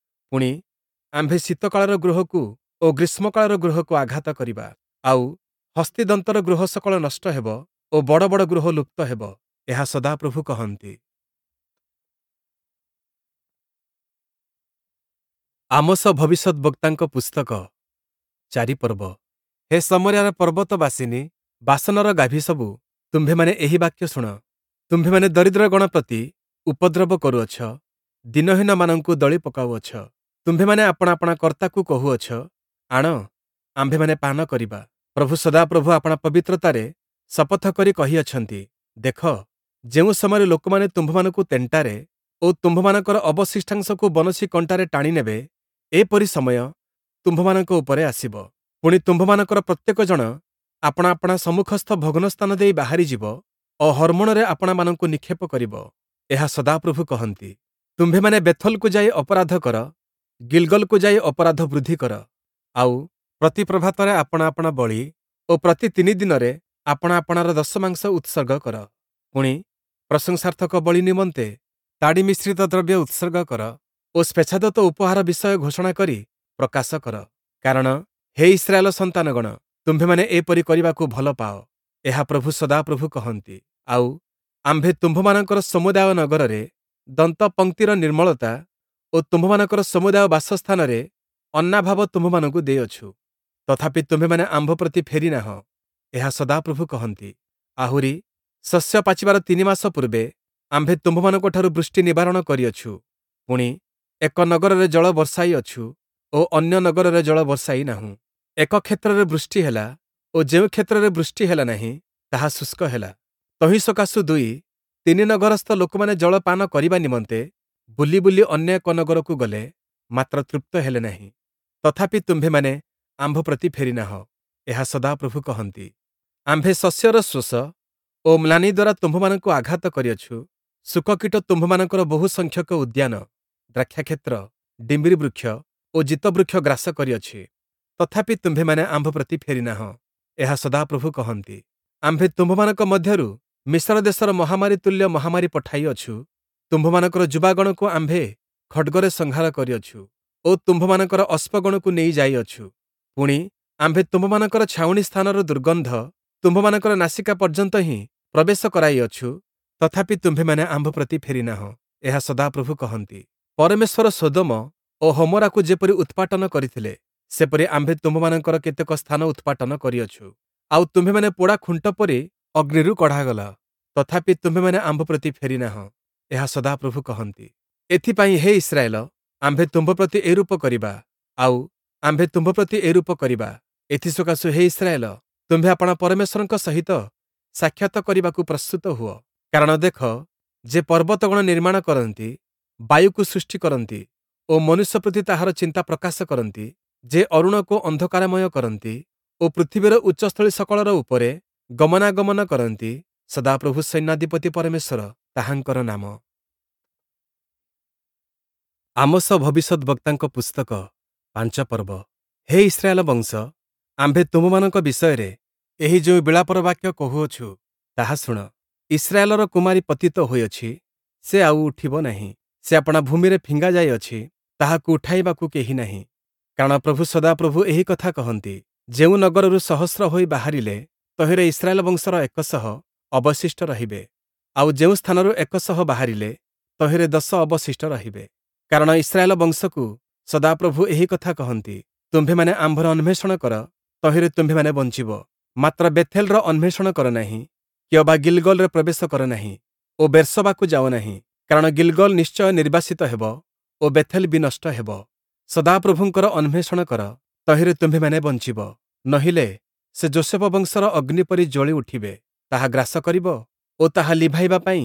ପୁଣି, ଆମ୍ଭେ ଶୀତକାଳର ଗୃହକୁ ଓ ଗ୍ରୀଷ୍ମକାଳର ଗୃହକୁ ଆଘାତ କରିବା, ଆଉ ହସ୍ତିଦନ୍ତର ଗୃହ ସକଳ ନଷ୍ଟ ହେବ ଓ ବଡ଼ ବଡ଼ ଗୃହ ଲୁପ୍ତ ହେବ। ଏହା ସଦାପ୍ରଭୁ କହନ୍ତି। ଆମୋସ ଭବିଷ୍ୟଦ୍‌ବକ୍ତାଙ୍କ ପୁସ୍ତକ, 4 ପର୍ବ। ହେ ଶମରିୟାର ପର୍ବତବାସିନୀ, ବାଶନର ଗାଭୀସବୁ, ତୁମ୍ଭେମାନେ ଏହି ବାକ୍ୟ ଶୁଣ। ତୁମ୍ଭେମାନେ ଦରିଦ୍ରଗଣ ପ୍ରତି ଉପଦ୍ରବ କରୁଅଛ, ଦୀନହୀନମାନଙ୍କୁ ଦଳି ପକାଉଅଛ। ତୁମ୍ଭେମାନେ ଆପଣା ଆପଣା କର୍ତ୍ତାକୁ କହୁଅଛ, ଆଣ, ଆମ୍ଭେମାନେ ପାନ କରିବା। ପ୍ରଭୁ ସଦାପ୍ରଭୁ ଆପଣା ପବିତ୍ରତାରେ ଶପଥ କରି କହିଅଛନ୍ତି, ଦେଖ, ଯେଉଁ ସମୟରେ ଲୋକମାନେ ତୁମ୍ଭମାନଙ୍କୁ ତେଣ୍ଟାରେ ଓ ତୁମ୍ଭମାନଙ୍କର ଅବଶିଷ୍ଟାଂଶକୁ ବନଶୀ କଣ୍ଟାରେ ଟାଣି ନେବେ, ଏପରି ସମୟ ତୁମ୍ଭମାନଙ୍କ ଉପରେ ଆସିବ। ପୁଣି, ତୁମ୍ଭମାନଙ୍କର ପ୍ରତ୍ୟେକ ଜଣ ଆପଣା ଆପଣା ସମ୍ମୁଖସ୍ଥ ଭଗ୍ନ ସ୍ଥାନ ଦେଇ ବାହାରିଯିବ ଓ ହର୍ମୋଣରେ ଆପଣାମାନଙ୍କୁ ନିକ୍ଷେପ କରିବ। ଏହା ସଦାପ୍ରଭୁ କହନ୍ତି। ତୁମ୍ଭେମାନେ ବେଥଲକୁ ଯାଇ ଅପରାଧ କର, ଗିଲଗଲକୁ ଯାଇ ଅପରାଧ ବୃଦ୍ଧି କର, ଆଉ ପ୍ରତି ପ୍ରଭାତରେ ଆପଣା ଆପଣା ବଳି ଓ ପ୍ରତି ତିନି ଦିନରେ ଆପଣା ଆପଣାର ଦଶମାଂଶ ଉତ୍ସର୍ଗ କର। ପୁଣି, ପ୍ରଶଂସାର୍ଥକ ବଳି ନିମନ୍ତେ ତାଡ଼ି ମିଶ୍ରିତ ଦ୍ରବ୍ୟ ଉତ୍ସର୍ଗ କର ଓ ସ୍ୱେଚ୍ଛାଦତ୍ତ ଉପହାର ବିଷୟ ଘୋଷଣା କରି ପ୍ରକାଶ କର। କାରଣ ହେ ଇସ୍ରାଏଲ ସନ୍ତାନଗଣ, ତୁମ୍ଭେମାନେ ଏପରି କରିବାକୁ ଭଲ ପାଅ। ଏହା ପ୍ରଭୁ ସଦାପ୍ରଭୁ କହନ୍ତି। ଆଉ ଆମ୍ଭେ ତୁମ୍ଭମାନଙ୍କର ସମୁଦାୟ ନଗରରେ ଦନ୍ତପଂକ୍ତିର ନିର୍ମଳତା ଓ ତୁମ୍ଭମାନଙ୍କର ସମୁଦାୟ ବାସସ୍ଥାନରେ ଅନ୍ନାଭାବ ତୁମ୍ଭମାନଙ୍କୁ ଦେଇଅଛୁ। ତଥାପି ତୁମ୍ଭେମାନେ ଆମ୍ଭ ପ୍ରତି ଫେରି ନାହଁ। ଏହା ସଦାପ୍ରଭୁ କହନ୍ତି। ଆହୁରି, ଶସ୍ୟ ପାଚିବାର 3 ମାସ ପୂର୍ବେ ଆମ୍ଭେ ତୁମ୍ଭମାନଙ୍କଠାରୁ ବୃଷ୍ଟି ନିବାରଣ କରିଅଛୁ। ପୁଣି, ଏକ ନଗରରେ ଜଳ ବର୍ଷାଇଅଛୁ ଓ ଅନ୍ୟ ନଗରରେ ଜଳ ବର୍ଷାଇ ନାହୁଁ। ଏକ କ୍ଷେତ୍ରରେ ବୃଷ୍ଟି ହେଲା ଓ ଯେଉଁ କ୍ଷେତ୍ରରେ ବୃଷ୍ଟି ହେଲା ନାହିଁ, ତାହା ଶୁଷ୍କ ହେଲା। ତହିଁ ସକାଶୁ ଦୁଇ ତିନି ନଗରସ୍ଥ ଲୋକମାନେ ଜଳ ପାନ କରିବା ନିମନ୍ତେ ବୁଲି ବୁଲି ଅନ୍ୟ ଏକ ନଗରକୁ ଗଲେ, ମାତ୍ର ତୃପ୍ତ ହେଲେ ନାହିଁ। ତଥାପି ତୁମ୍ଭେମାନେ ଆମ୍ଭ ପ୍ରତି ଫେରିନାହଁ, ଏହା ସଦାପ୍ରଭୁ କହନ୍ତି। ଆମ୍ଭେ ଶସ୍ୟର ଶୋଷ ଓ ମ୍ଳାନି ଦ୍ୱାରା ତୁମ୍ଭମାନଙ୍କୁ ଆଘାତ କରିଅଛୁ। ଶୁକକୀଟ ତୁମ୍ଭମାନଙ୍କର ବହୁ ସଂଖ୍ୟକ ଉଦ୍ୟାନ, ଦ୍ରାକ୍ଷାକ୍ଷେତ୍ର, ଡିମ୍ବିରି ବୃକ୍ଷ ଓ ଜିତବୃକ୍ଷ ଗ୍ରାସ କରିଅଛି। ତଥାପି ତୁମ୍ଭେମାନେ ଆମ୍ଭ ପ୍ରତି ଫେରିନାହଁ, ଏହା ସଦାପ୍ରଭୁ କହନ୍ତି। ଆମ୍ଭେ ତୁମ୍ଭମାନଙ୍କ ମଧ୍ୟରୁ ମିଶର ଦେଶର ମହାମାରୀ ତୁଲ୍ୟ ମହାମାରୀ ପଠାଇଅଛୁ। ତୁମ୍ଭମାନଙ୍କର ଯୁବାଗଣକୁ ଆମ୍ଭେ ଖଡ଼୍ଗରେ ସଂହାର କରିଅଛୁ ଓ ତୁମ୍ଭମାନଙ୍କର ଅଶ୍ଵଗଣକୁ ନେଇ ଯାଇଅଛୁ। ପୁଣି, ଆମ୍ଭେ ତୁମ୍ଭମାନଙ୍କର ଛାଉଣି ସ୍ଥାନର ଦୁର୍ଗନ୍ଧ ତୁମ୍ଭମାନଙ୍କର ନାସିକା ପର୍ଯ୍ୟନ୍ତ ହିଁ ପ୍ରବେଶ କରାଇଅଛୁ। ତଥାପି ତୁମ୍ଭେମାନେ ଆମ୍ଭ ପ୍ରତି ଫେରିନାହଁ, ଏହା ସଦାପ୍ରଭୁ କହନ୍ତି। ପରମେଶ୍ୱର ସୋଦମ ଓ ହମୋରାକୁ ଯେପରି ଉତ୍ପାଟନ କରିଥିଲେ, ସେପରି ଆମ୍ଭେ ତୁମ୍ଭମାନଙ୍କର କେତେକ ସ୍ଥାନ ଉତ୍ପାଟନ କରିଅଛୁ। ଆଉ ତୁମ୍ଭେମାନେ ପୋଡ଼ା ଖୁଣ୍ଟ ପରି ଅଗ୍ନିରୁ କଢ଼ାଗଲ। ତଥାପି ତୁମ୍ଭେମାନେ ଆମ୍ଭ ପ୍ରତି ଫେରିନାହଁ, ଏହା ସଦାପ୍ରଭୁ କହନ୍ତି। ଏଥିପାଇଁ ହେ ଇସ୍ରାଏଲ, ଆମ୍ଭେ ତୁମ୍ଭ ପ୍ରତି ଏରୂପ କରିବା, ଆଉ ଆମ୍ଭେ ତୁମ୍ଭ ପ୍ରତି ଏରୂପ କରିବା। ଏଥିସକାଶୁ ହେ ଇସ୍ରାଏଲ, ତୁମ୍ଭେ ଆପଣା ପରମେଶ୍ୱରଙ୍କ ସହିତ ସାକ୍ଷାତ କରିବାକୁ ପ୍ରସ୍ତୁତ ହୁଅ। କାରଣ ଦେଖ, ଯେ ପର୍ବତଗଣ ନିର୍ମାଣ କରନ୍ତି, ବାୟୁକୁ ସୃଷ୍ଟି କରନ୍ତି ଓ ମନୁଷ୍ୟ ପ୍ରତି ତାହାର ଚିନ୍ତା ପ୍ରକାଶ କରନ୍ତି, ଯେ ଅରୁଣକୁ ଅନ୍ଧକାରମୟ କରନ୍ତି ଓ ପୃଥିବୀର ଉଚ୍ଚସ୍ଥଳୀ ସକଳର ଉପରେ ଗମନାଗମନ କରନ୍ତି, ସଦାପ୍ରଭୁ ସୈନ୍ୟାଧିପତି ପରମେଶ୍ୱର ତାହାଙ୍କର ନାମ। ଆମୋସ ଭବିଷ୍ୟଦ୍‌ବକ୍ତାଙ୍କ ପୁସ୍ତକ, 5 ପର୍ବ। ହେ ଇସ୍ରାଏଲ ବଂଶ, ଆମ୍ଭେ ତୁମ୍ଭମାନଙ୍କ ବିଷୟରେ ଏହି ଯେଉଁ ବିଳାପର ବାକ୍ୟ କହୁଅଛୁ, ତାହା ଶୁଣ। ଇସ୍ରାଏଲର କୁମାରୀ ପତିତ ହୋଇଅଛି, ସେ ଆଉ ଉଠିବ ନାହିଁ। ସେ ଆପଣା ଭୂମିରେ ଫିଙ୍ଗା ଯାଇଅଛି, ତାହାକୁ ଉଠାଇବାକୁ କେହି ନାହିଁ। କାରଣ ପ୍ରଭୁ ସଦାପ୍ରଭୁ ଏହି କଥା କହନ୍ତି, ଯେଉଁ ନଗରରୁ ସହସ୍ର ହୋଇ ବାହାରିଲେ, ତହିଁରେ ଇସ୍ରାଏଲ ବଂଶର 100 ଅବଶିଷ୍ଟ ରହିବେ। ଆଉ ଯେଉଁ ସ୍ଥାନରୁ 100 ବାହାରିଲେ, ତହିଁରେ 10 ଅବଶିଷ୍ଟ ରହିବେ। କାରଣ ଇସ୍ରାଏଲ ବଂଶକୁ ସଦାପ୍ରଭୁ ଏହି କଥା କହନ୍ତି, ତୁମ୍ଭେମାନେ ଆମ୍ଭର ଅନ୍ୱେଷଣ କର, ତହିଁରେ ତୁମ୍ଭେମାନେ ବଞ୍ଚିବ। ମାତ୍ର ବେଥେଲର ଅନ୍ୱେଷଣ କର ନାହିଁ, କିଅବା ଗିଲଗଲରେ ପ୍ରବେଶ କର ନାହିଁ ଓ ବେର୍ଶବାକୁ ଯାଅ ନାହିଁ। କାରଣ ଗିଲଗଲ ନିଶ୍ଚୟ ନିର୍ବାସିତ ହେବ ଓ ବେଥେଲ ବିନଷ୍ଟ ହେବ। ସଦାପ୍ରଭୁଙ୍କର ଅନ୍ୱେଷଣ କର, ତହିଁରେ ତୁମ୍ଭେମାନେ ବଞ୍ଚିବ। ନହିଲେ ସେ ଯୋଷେଫ ବଂଶର ଅଗ୍ନି ପରି ଜ୍ୱଳି ଉଠିବେ, ତାହା ଗ୍ରାସ କରିବ ଓ ତାହା ଲିଭାଇବା ପାଇଁ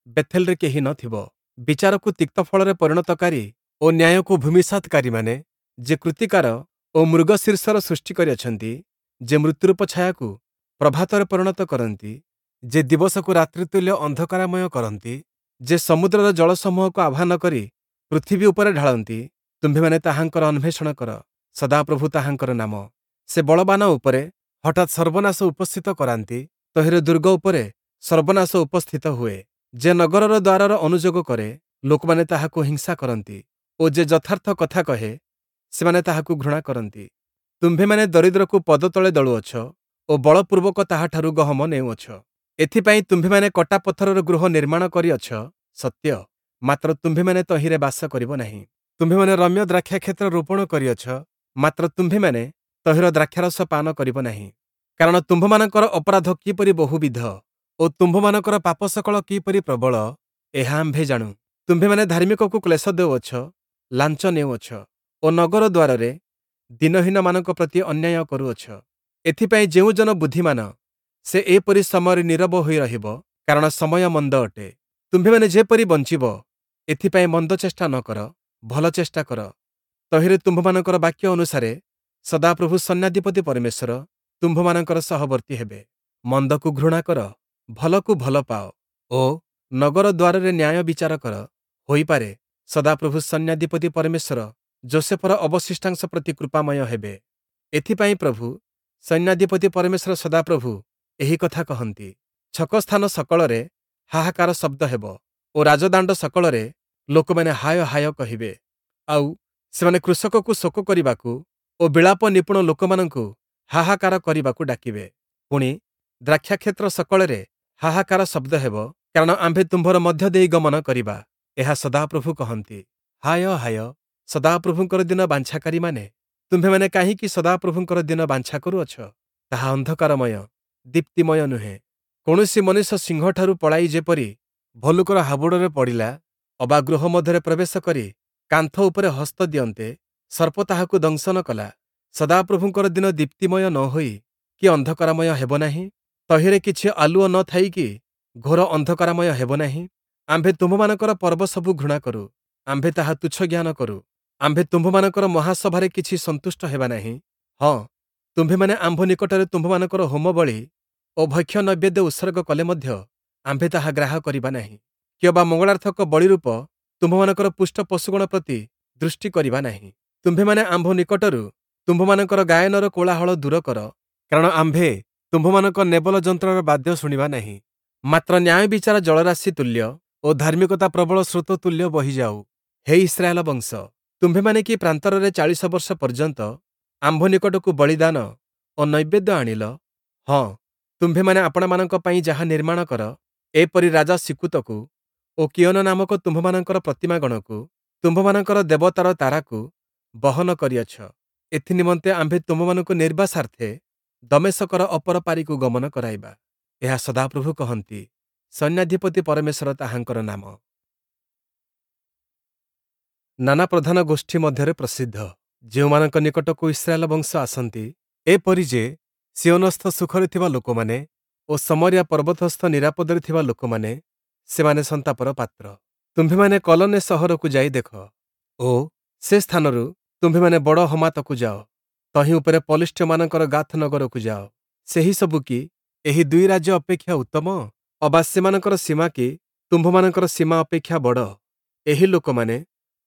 ବେଥେଲରେ କେହି ନ ଥିବ। ବିଚାରକୁ ତିକ୍ତ ଫଳରେ ପରିଣତକାରୀ ଓ ନ୍ୟାୟକୁ ଭୂମିସାତକାରୀମାନେ, ଯେ କୃତିକାର ଓ ମୃଗଶୀର୍ଷର ସୃଷ୍ଟି କରିଅଛନ୍ତି, ଯେ ମୃତ୍ୟୁରୂପ ଛାୟାକୁ ପ୍ରଭାତରେ ପରିଣତ କରନ୍ତି, ଯେ ଦିବସକୁ ରାତ୍ରିତୁଲ୍ୟ ଅନ୍ଧକାରମୟ କରନ୍ତି, ଯେ ସମୁଦ୍ରର ଜଳସମୂହକୁ ଆହ୍ୱାନ କରି ପୃଥିବୀ ଉପରେ ଢାଳନ୍ତି, ତୁମ୍ଭେମାନେ ତାହାଙ୍କର ଅନ୍ୱେଷଣ କର। ସଦାପ୍ରଭୁ ତାହାଙ୍କର ନାମ। ସେ ବଳବାନ ଉପରେ ହଠାତ୍ ସର୍ବନାଶ ଉପସ୍ଥିତ କରାନ୍ତି, ତହିଁରେ ଦୁର୍ଗ ଉପରେ ସର୍ବନାଶ ଉପସ୍ଥିତ ହୁଏ। ଯେ ନଗରର ଦ୍ୱାରର ଅନୁଯୋଗ କରେ, ଲୋକମାନେ ତାହାକୁ ହିଂସା କରନ୍ତି ଓ ଯେ ଯଥାର୍ଥ କଥା କହେ, ସେମାନେ ତାହାକୁ ଘୃଣା କରନ୍ତି। ତୁମ୍ଭେମାନେ ଦରିଦ୍ରକୁ ପଦତଳେ ଦଳୁଅଛ ଓ ବଳପୂର୍ବକ ତାହାଠାରୁ ଗହମ ନେଉଅଛ। ଏଥିପାଇଁ ତୁମ୍ଭେମାନେ କଟା ପଥରର ଗୃହ ନିର୍ମାଣ କରିଅଛ ସତ୍ୟ, ମାତ୍ର ତୁମ୍ଭେମାନେ ତହିଁରେ ବାସ କରିବ ନାହିଁ। ତୁମ୍ଭେମାନେ ରମ୍ୟ ଦ୍ରାକ୍ଷାକ୍ଷେତ୍ର ରୋପଣ କରିଅଛ, ମାତ୍ର ତୁମ୍ଭେମାନେ ତହିଁର ଦ୍ରାକ୍ଷାରସ ପାନ କରିବ ନାହିଁ। କାରଣ ତୁମ୍ଭମାନଙ୍କର ଅପରାଧ କିପରି ବହୁବିଧ ଓ ତୁମ୍ଭମାନଙ୍କର ପାପ ସକଳ କିପରି ପ୍ରବଳ, ଏହା ଆମ୍ଭେ ଜାଣୁ। ତୁମ୍ଭେମାନେ ଧାର୍ମିକକୁ କ୍ଲେଶ ଦେଉଅଛ, ଲାଞ୍ଚ ନେଉଅଛ ଓ ନଗର ଦ୍ୱାରରେ ଦିନହୀନମାନଙ୍କ ପ୍ରତି ଅନ୍ୟାୟ କରୁଅଛ। ଏଥିପାଇଁ ଯେଉଁ ଜନ ବୁଦ୍ଧିମାନ, ସେ ଏପରି ସମୟରେ ନୀରବ ହୋଇ ରହିବ, କାରଣ ସମୟ ମନ୍ଦ ଅଟେ। ତୁମ୍ଭେମାନେ ଯେପରି ବଞ୍ଚିବ, ଏଥିପାଇଁ ମନ୍ଦ ଚେଷ୍ଟା ନ କର, ଭଲ ଚେଷ୍ଟା କର। ତହିଁରେ ତୁମ୍ଭମାନଙ୍କର ବାକ୍ୟ ଅନୁସାରେ ସଦାପ୍ରଭୁ ସୈନ୍ୟାଧିପତି ପରମେଶ୍ୱର ତୁମ୍ଭମାନଙ୍କର ସହବର୍ତ୍ତୀ ହେବେ। ମନ୍ଦକୁ ଘୃଣା କର, ଭଲକୁ ଭଲ ପାଅ ଓ ନଗର ଦ୍ୱାରରେ ନ୍ୟାୟ ବିଚାର କର। ହୋଇପାରେ ସଦାପ୍ରଭୁ ସୈନ୍ୟାଧିପତି ପରମେଶ୍ୱର ଯୋଷେଫର ଅବଶିଷ୍ଟାଂଶ ପ୍ରତି କୃପାମୟ ହେବେ। ଏଥିପାଇଁ ପ୍ରଭୁ ସୈନ୍ୟାଧିପତି ପରମେଶ୍ୱର ସଦାପ୍ରଭୁ ଏହି କଥା କହନ୍ତି, ଛକସ୍ଥାନ ସକଳରେ ହାହାକାର ଶବ୍ଦ ହେବ ଓ ରାଜଦାଣ୍ଡ ସକଳରେ ଲୋକମାନେ ହାୟ ହାୟ କହିବେ। ଆଉ ସେମାନେ କୃଷକକୁ ଶୋକ କରିବାକୁ ଓ ବିଳାପ ନିପୁଣ ଲୋକମାନଙ୍କୁ ହାହାକାର କରିବାକୁ ଡାକିବେ। ପୁଣି, ଦ୍ରାକ୍ଷାକ୍ଷେତ୍ର ସକଳରେ ହାହାକାର ଶବ୍ଦ ହେବ, କାରଣ ଆମ୍ଭେ ତୁମ୍ଭର ମଧ୍ୟ ଦେଇ ଗମନ କରିବା, ଏହା ସଦାପ୍ରଭୁ କହନ୍ତି। ହାୟ ହାୟ, ସଦାପ୍ରଭୁଙ୍କର ଦିନ ବାଞ୍ଛାକାରୀମାନେ, ତୁମ୍ଭେମାନେ କାହିଁକି ସଦାପ୍ରଭୁଙ୍କର ଦିନ ବାଞ୍ଛା କରୁଅଛ? ତାହା ଅନ୍ଧକାରମୟ, ଦୀପ୍ତିମୟ ନୁହେଁ। କୌଣସି ମନୁଷ୍ୟ ସିଂହଠାରୁ ପଳାଇ ଯେପରି ଭଲ୍ଲୁକର ହାବୁଡ଼ରେ ପଡ଼ିଲା ଅବା ଗୃହ ମଧ୍ୟରେ ପ୍ରବେଶ କରି କାନ୍ଥ ଉପରେ ହସ୍ତ ଦିଅନ୍ତେ, ସର୍ପ ତାହାକୁ ଦଂଶନ କଲା। ସଦାପ୍ରଭୁଙ୍କର ଦିନ ଦୀପ୍ତିମୟ ନ ହୋଇ କି ଅନ୍ଧକାରମୟ ହେବ ନାହିଁ? ତହିଁରେ କିଛି ଆଲୁଅ ନ ଥାଇ କି ଘୋର ଅନ୍ଧକାରମୟ ହେବ ନାହିଁ? ଆମ୍ଭେ ତୁମ୍ଭମାନଙ୍କର ପର୍ବସବୁ ଘୃଣା କରୁ, ଆମ୍ଭେ ତାହା ତୁଚ୍ଛ ଜ୍ଞାନ କରୁ। ଆମ୍ଭେ ତୁମ୍ଭମାନଙ୍କର ମହାସଭାରେ କିଛି ସନ୍ତୁଷ୍ଟ ହେବା ନାହିଁ। ହଁ, ତୁମ୍ଭେମାନେ ଆମ୍ଭ ନିକଟରେ ତୁମ୍ଭମାନଙ୍କର ହୋମବଳି ଓ ଭକ୍ଷ୍ୟ ନୈବେଦ୍ୟ ଉତ୍ସର୍ଗ କଲେ ମଧ୍ୟ ଆମ୍ଭେ ତାହା ଗ୍ରାହ୍ୟ କରିବା ନାହିଁ, କିଅବା ମଙ୍ଗଳାର୍ଥକ ବଳିରୂପ ତୁମ୍ଭମାନଙ୍କର ପୁଷ୍ଟ ପଶୁଗଣ ପ୍ରତି ଦୃଷ୍ଟି କରିବା ନାହିଁ। ତୁମ୍ଭେମାନେ ଆମ୍ଭ ନିକଟରୁ ତୁମ୍ଭମାନଙ୍କର ଗାୟନର କୋଳାହଳ ଦୂର କର, କାରଣ ଆମ୍ଭେ ତୁମ୍ଭମାନଙ୍କ ନେବଲ ଯନ୍ତ୍ରର ବାଦ୍ୟ ଶୁଣିବା ନାହିଁ। ମାତ୍ର ନ୍ୟାୟ ବିଚାର ଜଳରାଶି ତୁଲ୍ୟ ଓ ଧାର୍ମିକତା ପ୍ରବଳ ସ୍ରୋତ ତୁଲ୍ୟ ବହିଯାଉ। ହେ ଇସ୍ରାଏଲ ବଂଶ, ତୁମ୍ଭେମାନେ କି ପ୍ରାନ୍ତରରେ 40 ବର୍ଷ ପର୍ଯ୍ୟନ୍ତ ଆମ୍ଭ ନିକଟକୁ ବଳିଦାନ ଓ ନୈବେଦ୍ୟ ଆଣିଲ? ହଁ, ତୁମ୍ଭେମାନେ ଆପଣାମାନଙ୍କ ପାଇଁ ଯାହା ନିର୍ମାଣ କର, ଏପରି ରାଜା ସିକ୍କୁତକୁ ଓ କିୟୋନ ନାମକ ତୁମ୍ଭମାନଙ୍କର ପ୍ରତିମାଗଣକୁ, ତୁମ୍ଭମାନଙ୍କର ଦେବତାର ତାରାକୁ ବହନ କରିଅଛ। ଏଥିନିମନ୍ତେ ଆମ୍ଭେ ତୁମ୍ଭମାନଙ୍କୁ ନିର୍ବାସାର୍ଥେ ଦମେଶକର ଅପର ପାରିକୁ ଗମନ କରାଇବା। ଏହା ସଦାପ୍ରଭୁ କହନ୍ତି, ସୈନ୍ୟାଧିପତି ପରମେଶ୍ୱର ତାହାଙ୍କର ନାମ। ନାନା ପ୍ରଧାନ ଗୋଷ୍ଠୀ ମଧ୍ୟରେ ପ୍ରସିଦ୍ଧ, ଯେଉଁମାନଙ୍କ ନିକଟକୁ ଇସ୍ରାଏଲ ବଂଶ ଆସନ୍ତି, ଏପରି ଯେ ସିୟୋନସ୍ଥ ସୁଖରେ ଥିବା ଲୋକମାନେ ଓ ଶମରିୟା ପର୍ବତସ୍ଥ ନିରାପଦରେ ଥିବା ଲୋକମାନେ, ସେମାନେ ସନ୍ତାପର ପାତ୍ର। ତୁମ୍ଭେମାନେ କଲନେ ସହରକୁ ଯାଇ ଦେଖ ଓ ସେ ସ୍ଥାନରୁ ତୁମ୍ଭେମାନେ ବଡ଼ ହମାତକୁ ଯାଅ, ତହିଁ ଉପରେ ପଲିଷ୍ଠୀୟମାନଙ୍କର ଗାଥ ନଗରକୁ ଯାଅ। ସେହି ସବୁ କି ଏହି ଦୁଇ ରାଜ୍ୟ ଅପେକ୍ଷା ଉତ୍ତମ? ଅବା ସେମାନଙ୍କର ସୀମା କି ତୁମ୍ଭମାନଙ୍କର ସୀମା ଅପେକ୍ଷା ବଡ଼? ଏହି ଲୋକମାନେ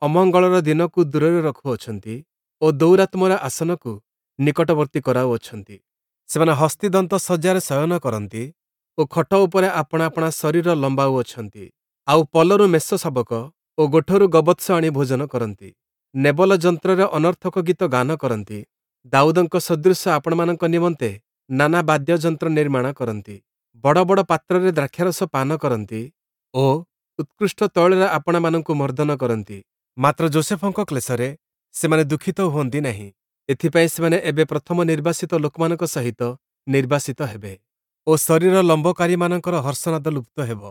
ଅମଙ୍ଗଳର ଦିନକୁ ଦୂରରେ ରଖୁଅଛନ୍ତି ଓ ଦୌରାତ୍ମ୍ୟର ଆସନକୁ ନିକଟବର୍ତ୍ତୀ କରାଉଅଛନ୍ତି। ସେମାନେ ହସ୍ତିଦନ୍ତ ଶଯ୍ୟାରେ ଶୟନ କରନ୍ତି ଓ ଖଟ ଉପରେ ଆପଣା ଆପଣା ଶରୀର ଲମ୍ବାଉଅଛନ୍ତି। ଆଉ ପଲରୁ ମେଷ ଶାବକ ଓ ଗୋଠରୁ ଗୋବତ୍ସ ଆଣି ଭୋଜନ କରନ୍ତି। ନେବଲ ଯନ୍ତ୍ରରେ ଅନର୍ଥକ ଗୀତ ଗାନ କରନ୍ତି। ଦାଉଦଙ୍କ ସଦୃଶ ଆପଣମାନଙ୍କ ନିମନ୍ତେ ନାନା ବାଦ୍ୟଯନ୍ତ୍ର ନିର୍ମାଣ କରନ୍ତି। ବଡ଼ ବଡ଼ ପାତ୍ରରେ ଦ୍ରାକ୍ଷାରସ ପାନ କରନ୍ତି ଓ ଉତ୍କୃଷ୍ଟ ତୈଳରେ ଆପଣାମାନଙ୍କୁ ମର୍ଦ୍ଦନ କରନ୍ତି। ମାତ୍ର ଯୋଷେଫଙ୍କ କ୍ଲେଶରେ ସେମାନେ ଦୁଃଖିତ ହୁଅନ୍ତି ନାହିଁ। ଏଥିପାଇଁ ସେମାନେ ଏବେ ପ୍ରଥମ ନିର୍ବାସିତ ଲୋକମାନଙ୍କ ସହିତ ନିର୍ବାସିତ ହେବେ ଓ ଶରୀର ଲମ୍ବକାରୀମାନଙ୍କର ହର୍ଷନାଦ ଲୁପ୍ତ ହେବ।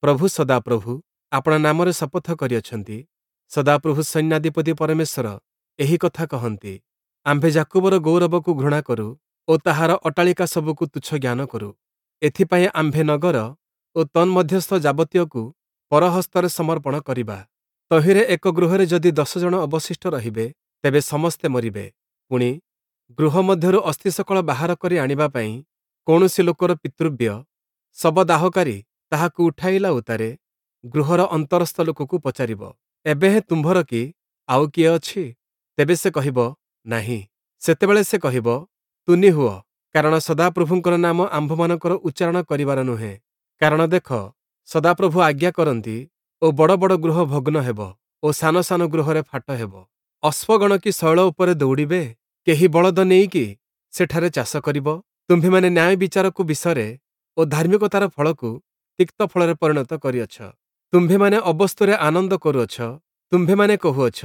ପ୍ରଭୁ ସଦାପ୍ରଭୁ ଆପଣା ନାମରେ ଶପଥ କରିଅଛନ୍ତି। ସଦାପ୍ରଭୁ ସୈନ୍ୟାଧିପତି ପରମେଶ୍ୱର ଏହି କଥା କହନ୍ତି, ଆମ୍ଭେ ଯାକୁବର ଗୌରବକୁ ଘୃଣା କରୁ ଓ ତାହାର ଅଟ୍ଟାଳିକା ସବୁକୁ ତୁଚ୍ଛ ଜ୍ଞାନ କରୁ। ଏଥିପାଇଁ ଆମ୍ଭେ ନଗର ଓ ତନ୍ମଧ୍ୟସ୍ଥ ଯାବତୀୟକୁ ପରହସ୍ତରେ ସମର୍ପଣ କରିବା। ତହିଁରେ ଏକ ଗୃହରେ ଯଦି 10 ଜଣ ଅବଶିଷ୍ଟ ରହିବେ, ତେବେ ସମସ୍ତେ ମରିବେ। ପୁଣି ଗୃହ ମଧ୍ୟରୁ ଅସ୍ଥିସକଳ ବାହାର କରି ଆଣିବା ପାଇଁ କୌଣସି ଲୋକର ପିତୃବ୍ୟ ଶବଦାହକାରୀ ତାହାକୁ ଉଠାଇଲା ଉତ୍ତାରେ ଗୃହର ଅନ୍ତରସ୍ଥ ଲୋକକୁ ପଚାରିବ, ଏବେ ହେଁ ତୁମ୍ଭର କି ଆଉ କିଏ ଅଛି? ତେବେ ସେ କହିବ, ନାହିଁ। ସେତେବେଳେ ସେ କହିବ, ତୁନି ହୁଅ, କାରଣ ସଦାପ୍ରଭୁଙ୍କର ନାମ ଆମ୍ଭମାନଙ୍କର ଉଚ୍ଚାରଣ କରିବାର ନୁହେଁ। କାରଣ ଦେଖ, ସଦାପ୍ରଭୁ ଆଜ୍ଞା କରନ୍ତି ଓ ବଡ଼ ବଡ଼ ଗୃହ ଭଗ୍ନ ହେବ ଓ ସାନ ସାନ ଗୃହରେ ଫାଟ ହେବ। ଅଶ୍ୱଗଣ କି ଶୈଳ ଉପରେ ଦୌଡ଼ିବେ? କେହି ବଳଦ ନେଇକି ସେଠାରେ ଚାଷ କରିବ? ତୁମ୍ଭେମାନେ ନ୍ୟାୟ ବିଚାରକୁ ବିଷରେ ଓ ଧାର୍ମିକତାର ଫଳକୁ ତିକ୍ତ ଫଳରେ ପରିଣତ କରିଅଛ। ତୁମ୍ଭେମାନେ ଅବସ୍ତୁରେ ଆନନ୍ଦ କରୁଅଛ। ତୁମ୍ଭେମାନେ କହୁଅଛ,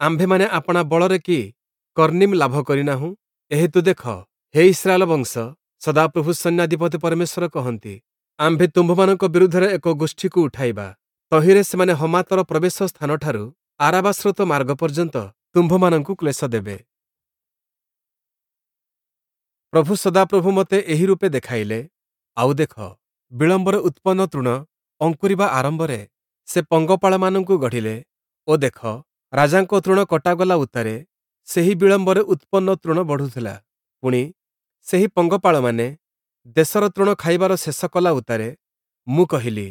ଆମ୍ଭେମାନେ ଆପଣା ବଳରେ କି କର୍ଣ୍ଣିମ୍ ଲାଭ କରିନାହୁଁ? ଏହେତୁ ଦେଖ, ହେ ଇସ୍ରାଏଲ ବଂଶ, ସଦାପ୍ରଭୁ ସୈନ୍ୟାଧିପତି ପରମେଶ୍ୱର କହନ୍ତି, ଆମ୍ଭେ ତୁମ୍ଭମାନଙ୍କ ବିରୁଦ୍ଧରେ ଏକ ଗୋଷ୍ଠୀକୁ ଉଠାଇବା। ତହିଁରେ ସେମାନେ ହମାତର ପ୍ରବେଶ ସ୍ଥାନଠାରୁ ଆରାବା ସ୍ରୋତ ମାର୍ଗ ପର୍ଯ୍ୟନ୍ତ ତୁମ୍ଭମାନଙ୍କୁ କ୍ଲେଶ ଦେବେ। ପ୍ରଭୁ ସଦାପ୍ରଭୁ ମୋତେ ଏହି ରୂପେ ଦେଖାଇଲେ, ଆଉ ଦେଖ, ବିଳମ୍ବରେ ଉତ୍ପନ୍ନ ତୃଣ ଅଙ୍କୁରିବା ଆରମ୍ଭରେ ସେ ପଙ୍ଗପାଳମାନଙ୍କୁ ଗଢ଼ିଲେ ଓ ଦେଖ, ରାଜାଙ୍କ ତୃଣ କଟାଗଲା ଉତ୍ତାରେ ସେହି ବିଳମ୍ବରେ ଉତ୍ପନ୍ନ ତୃଣ ବଢ଼ୁଥିଲା। ପୁଣି ସେହି ପଙ୍ଗପାଳମାନେ ଦେଶର ତୃଣ ଖାଇବାର ଶେଷ କଲା ଉତ୍ତାରେ ମୁଁ କହିଲି,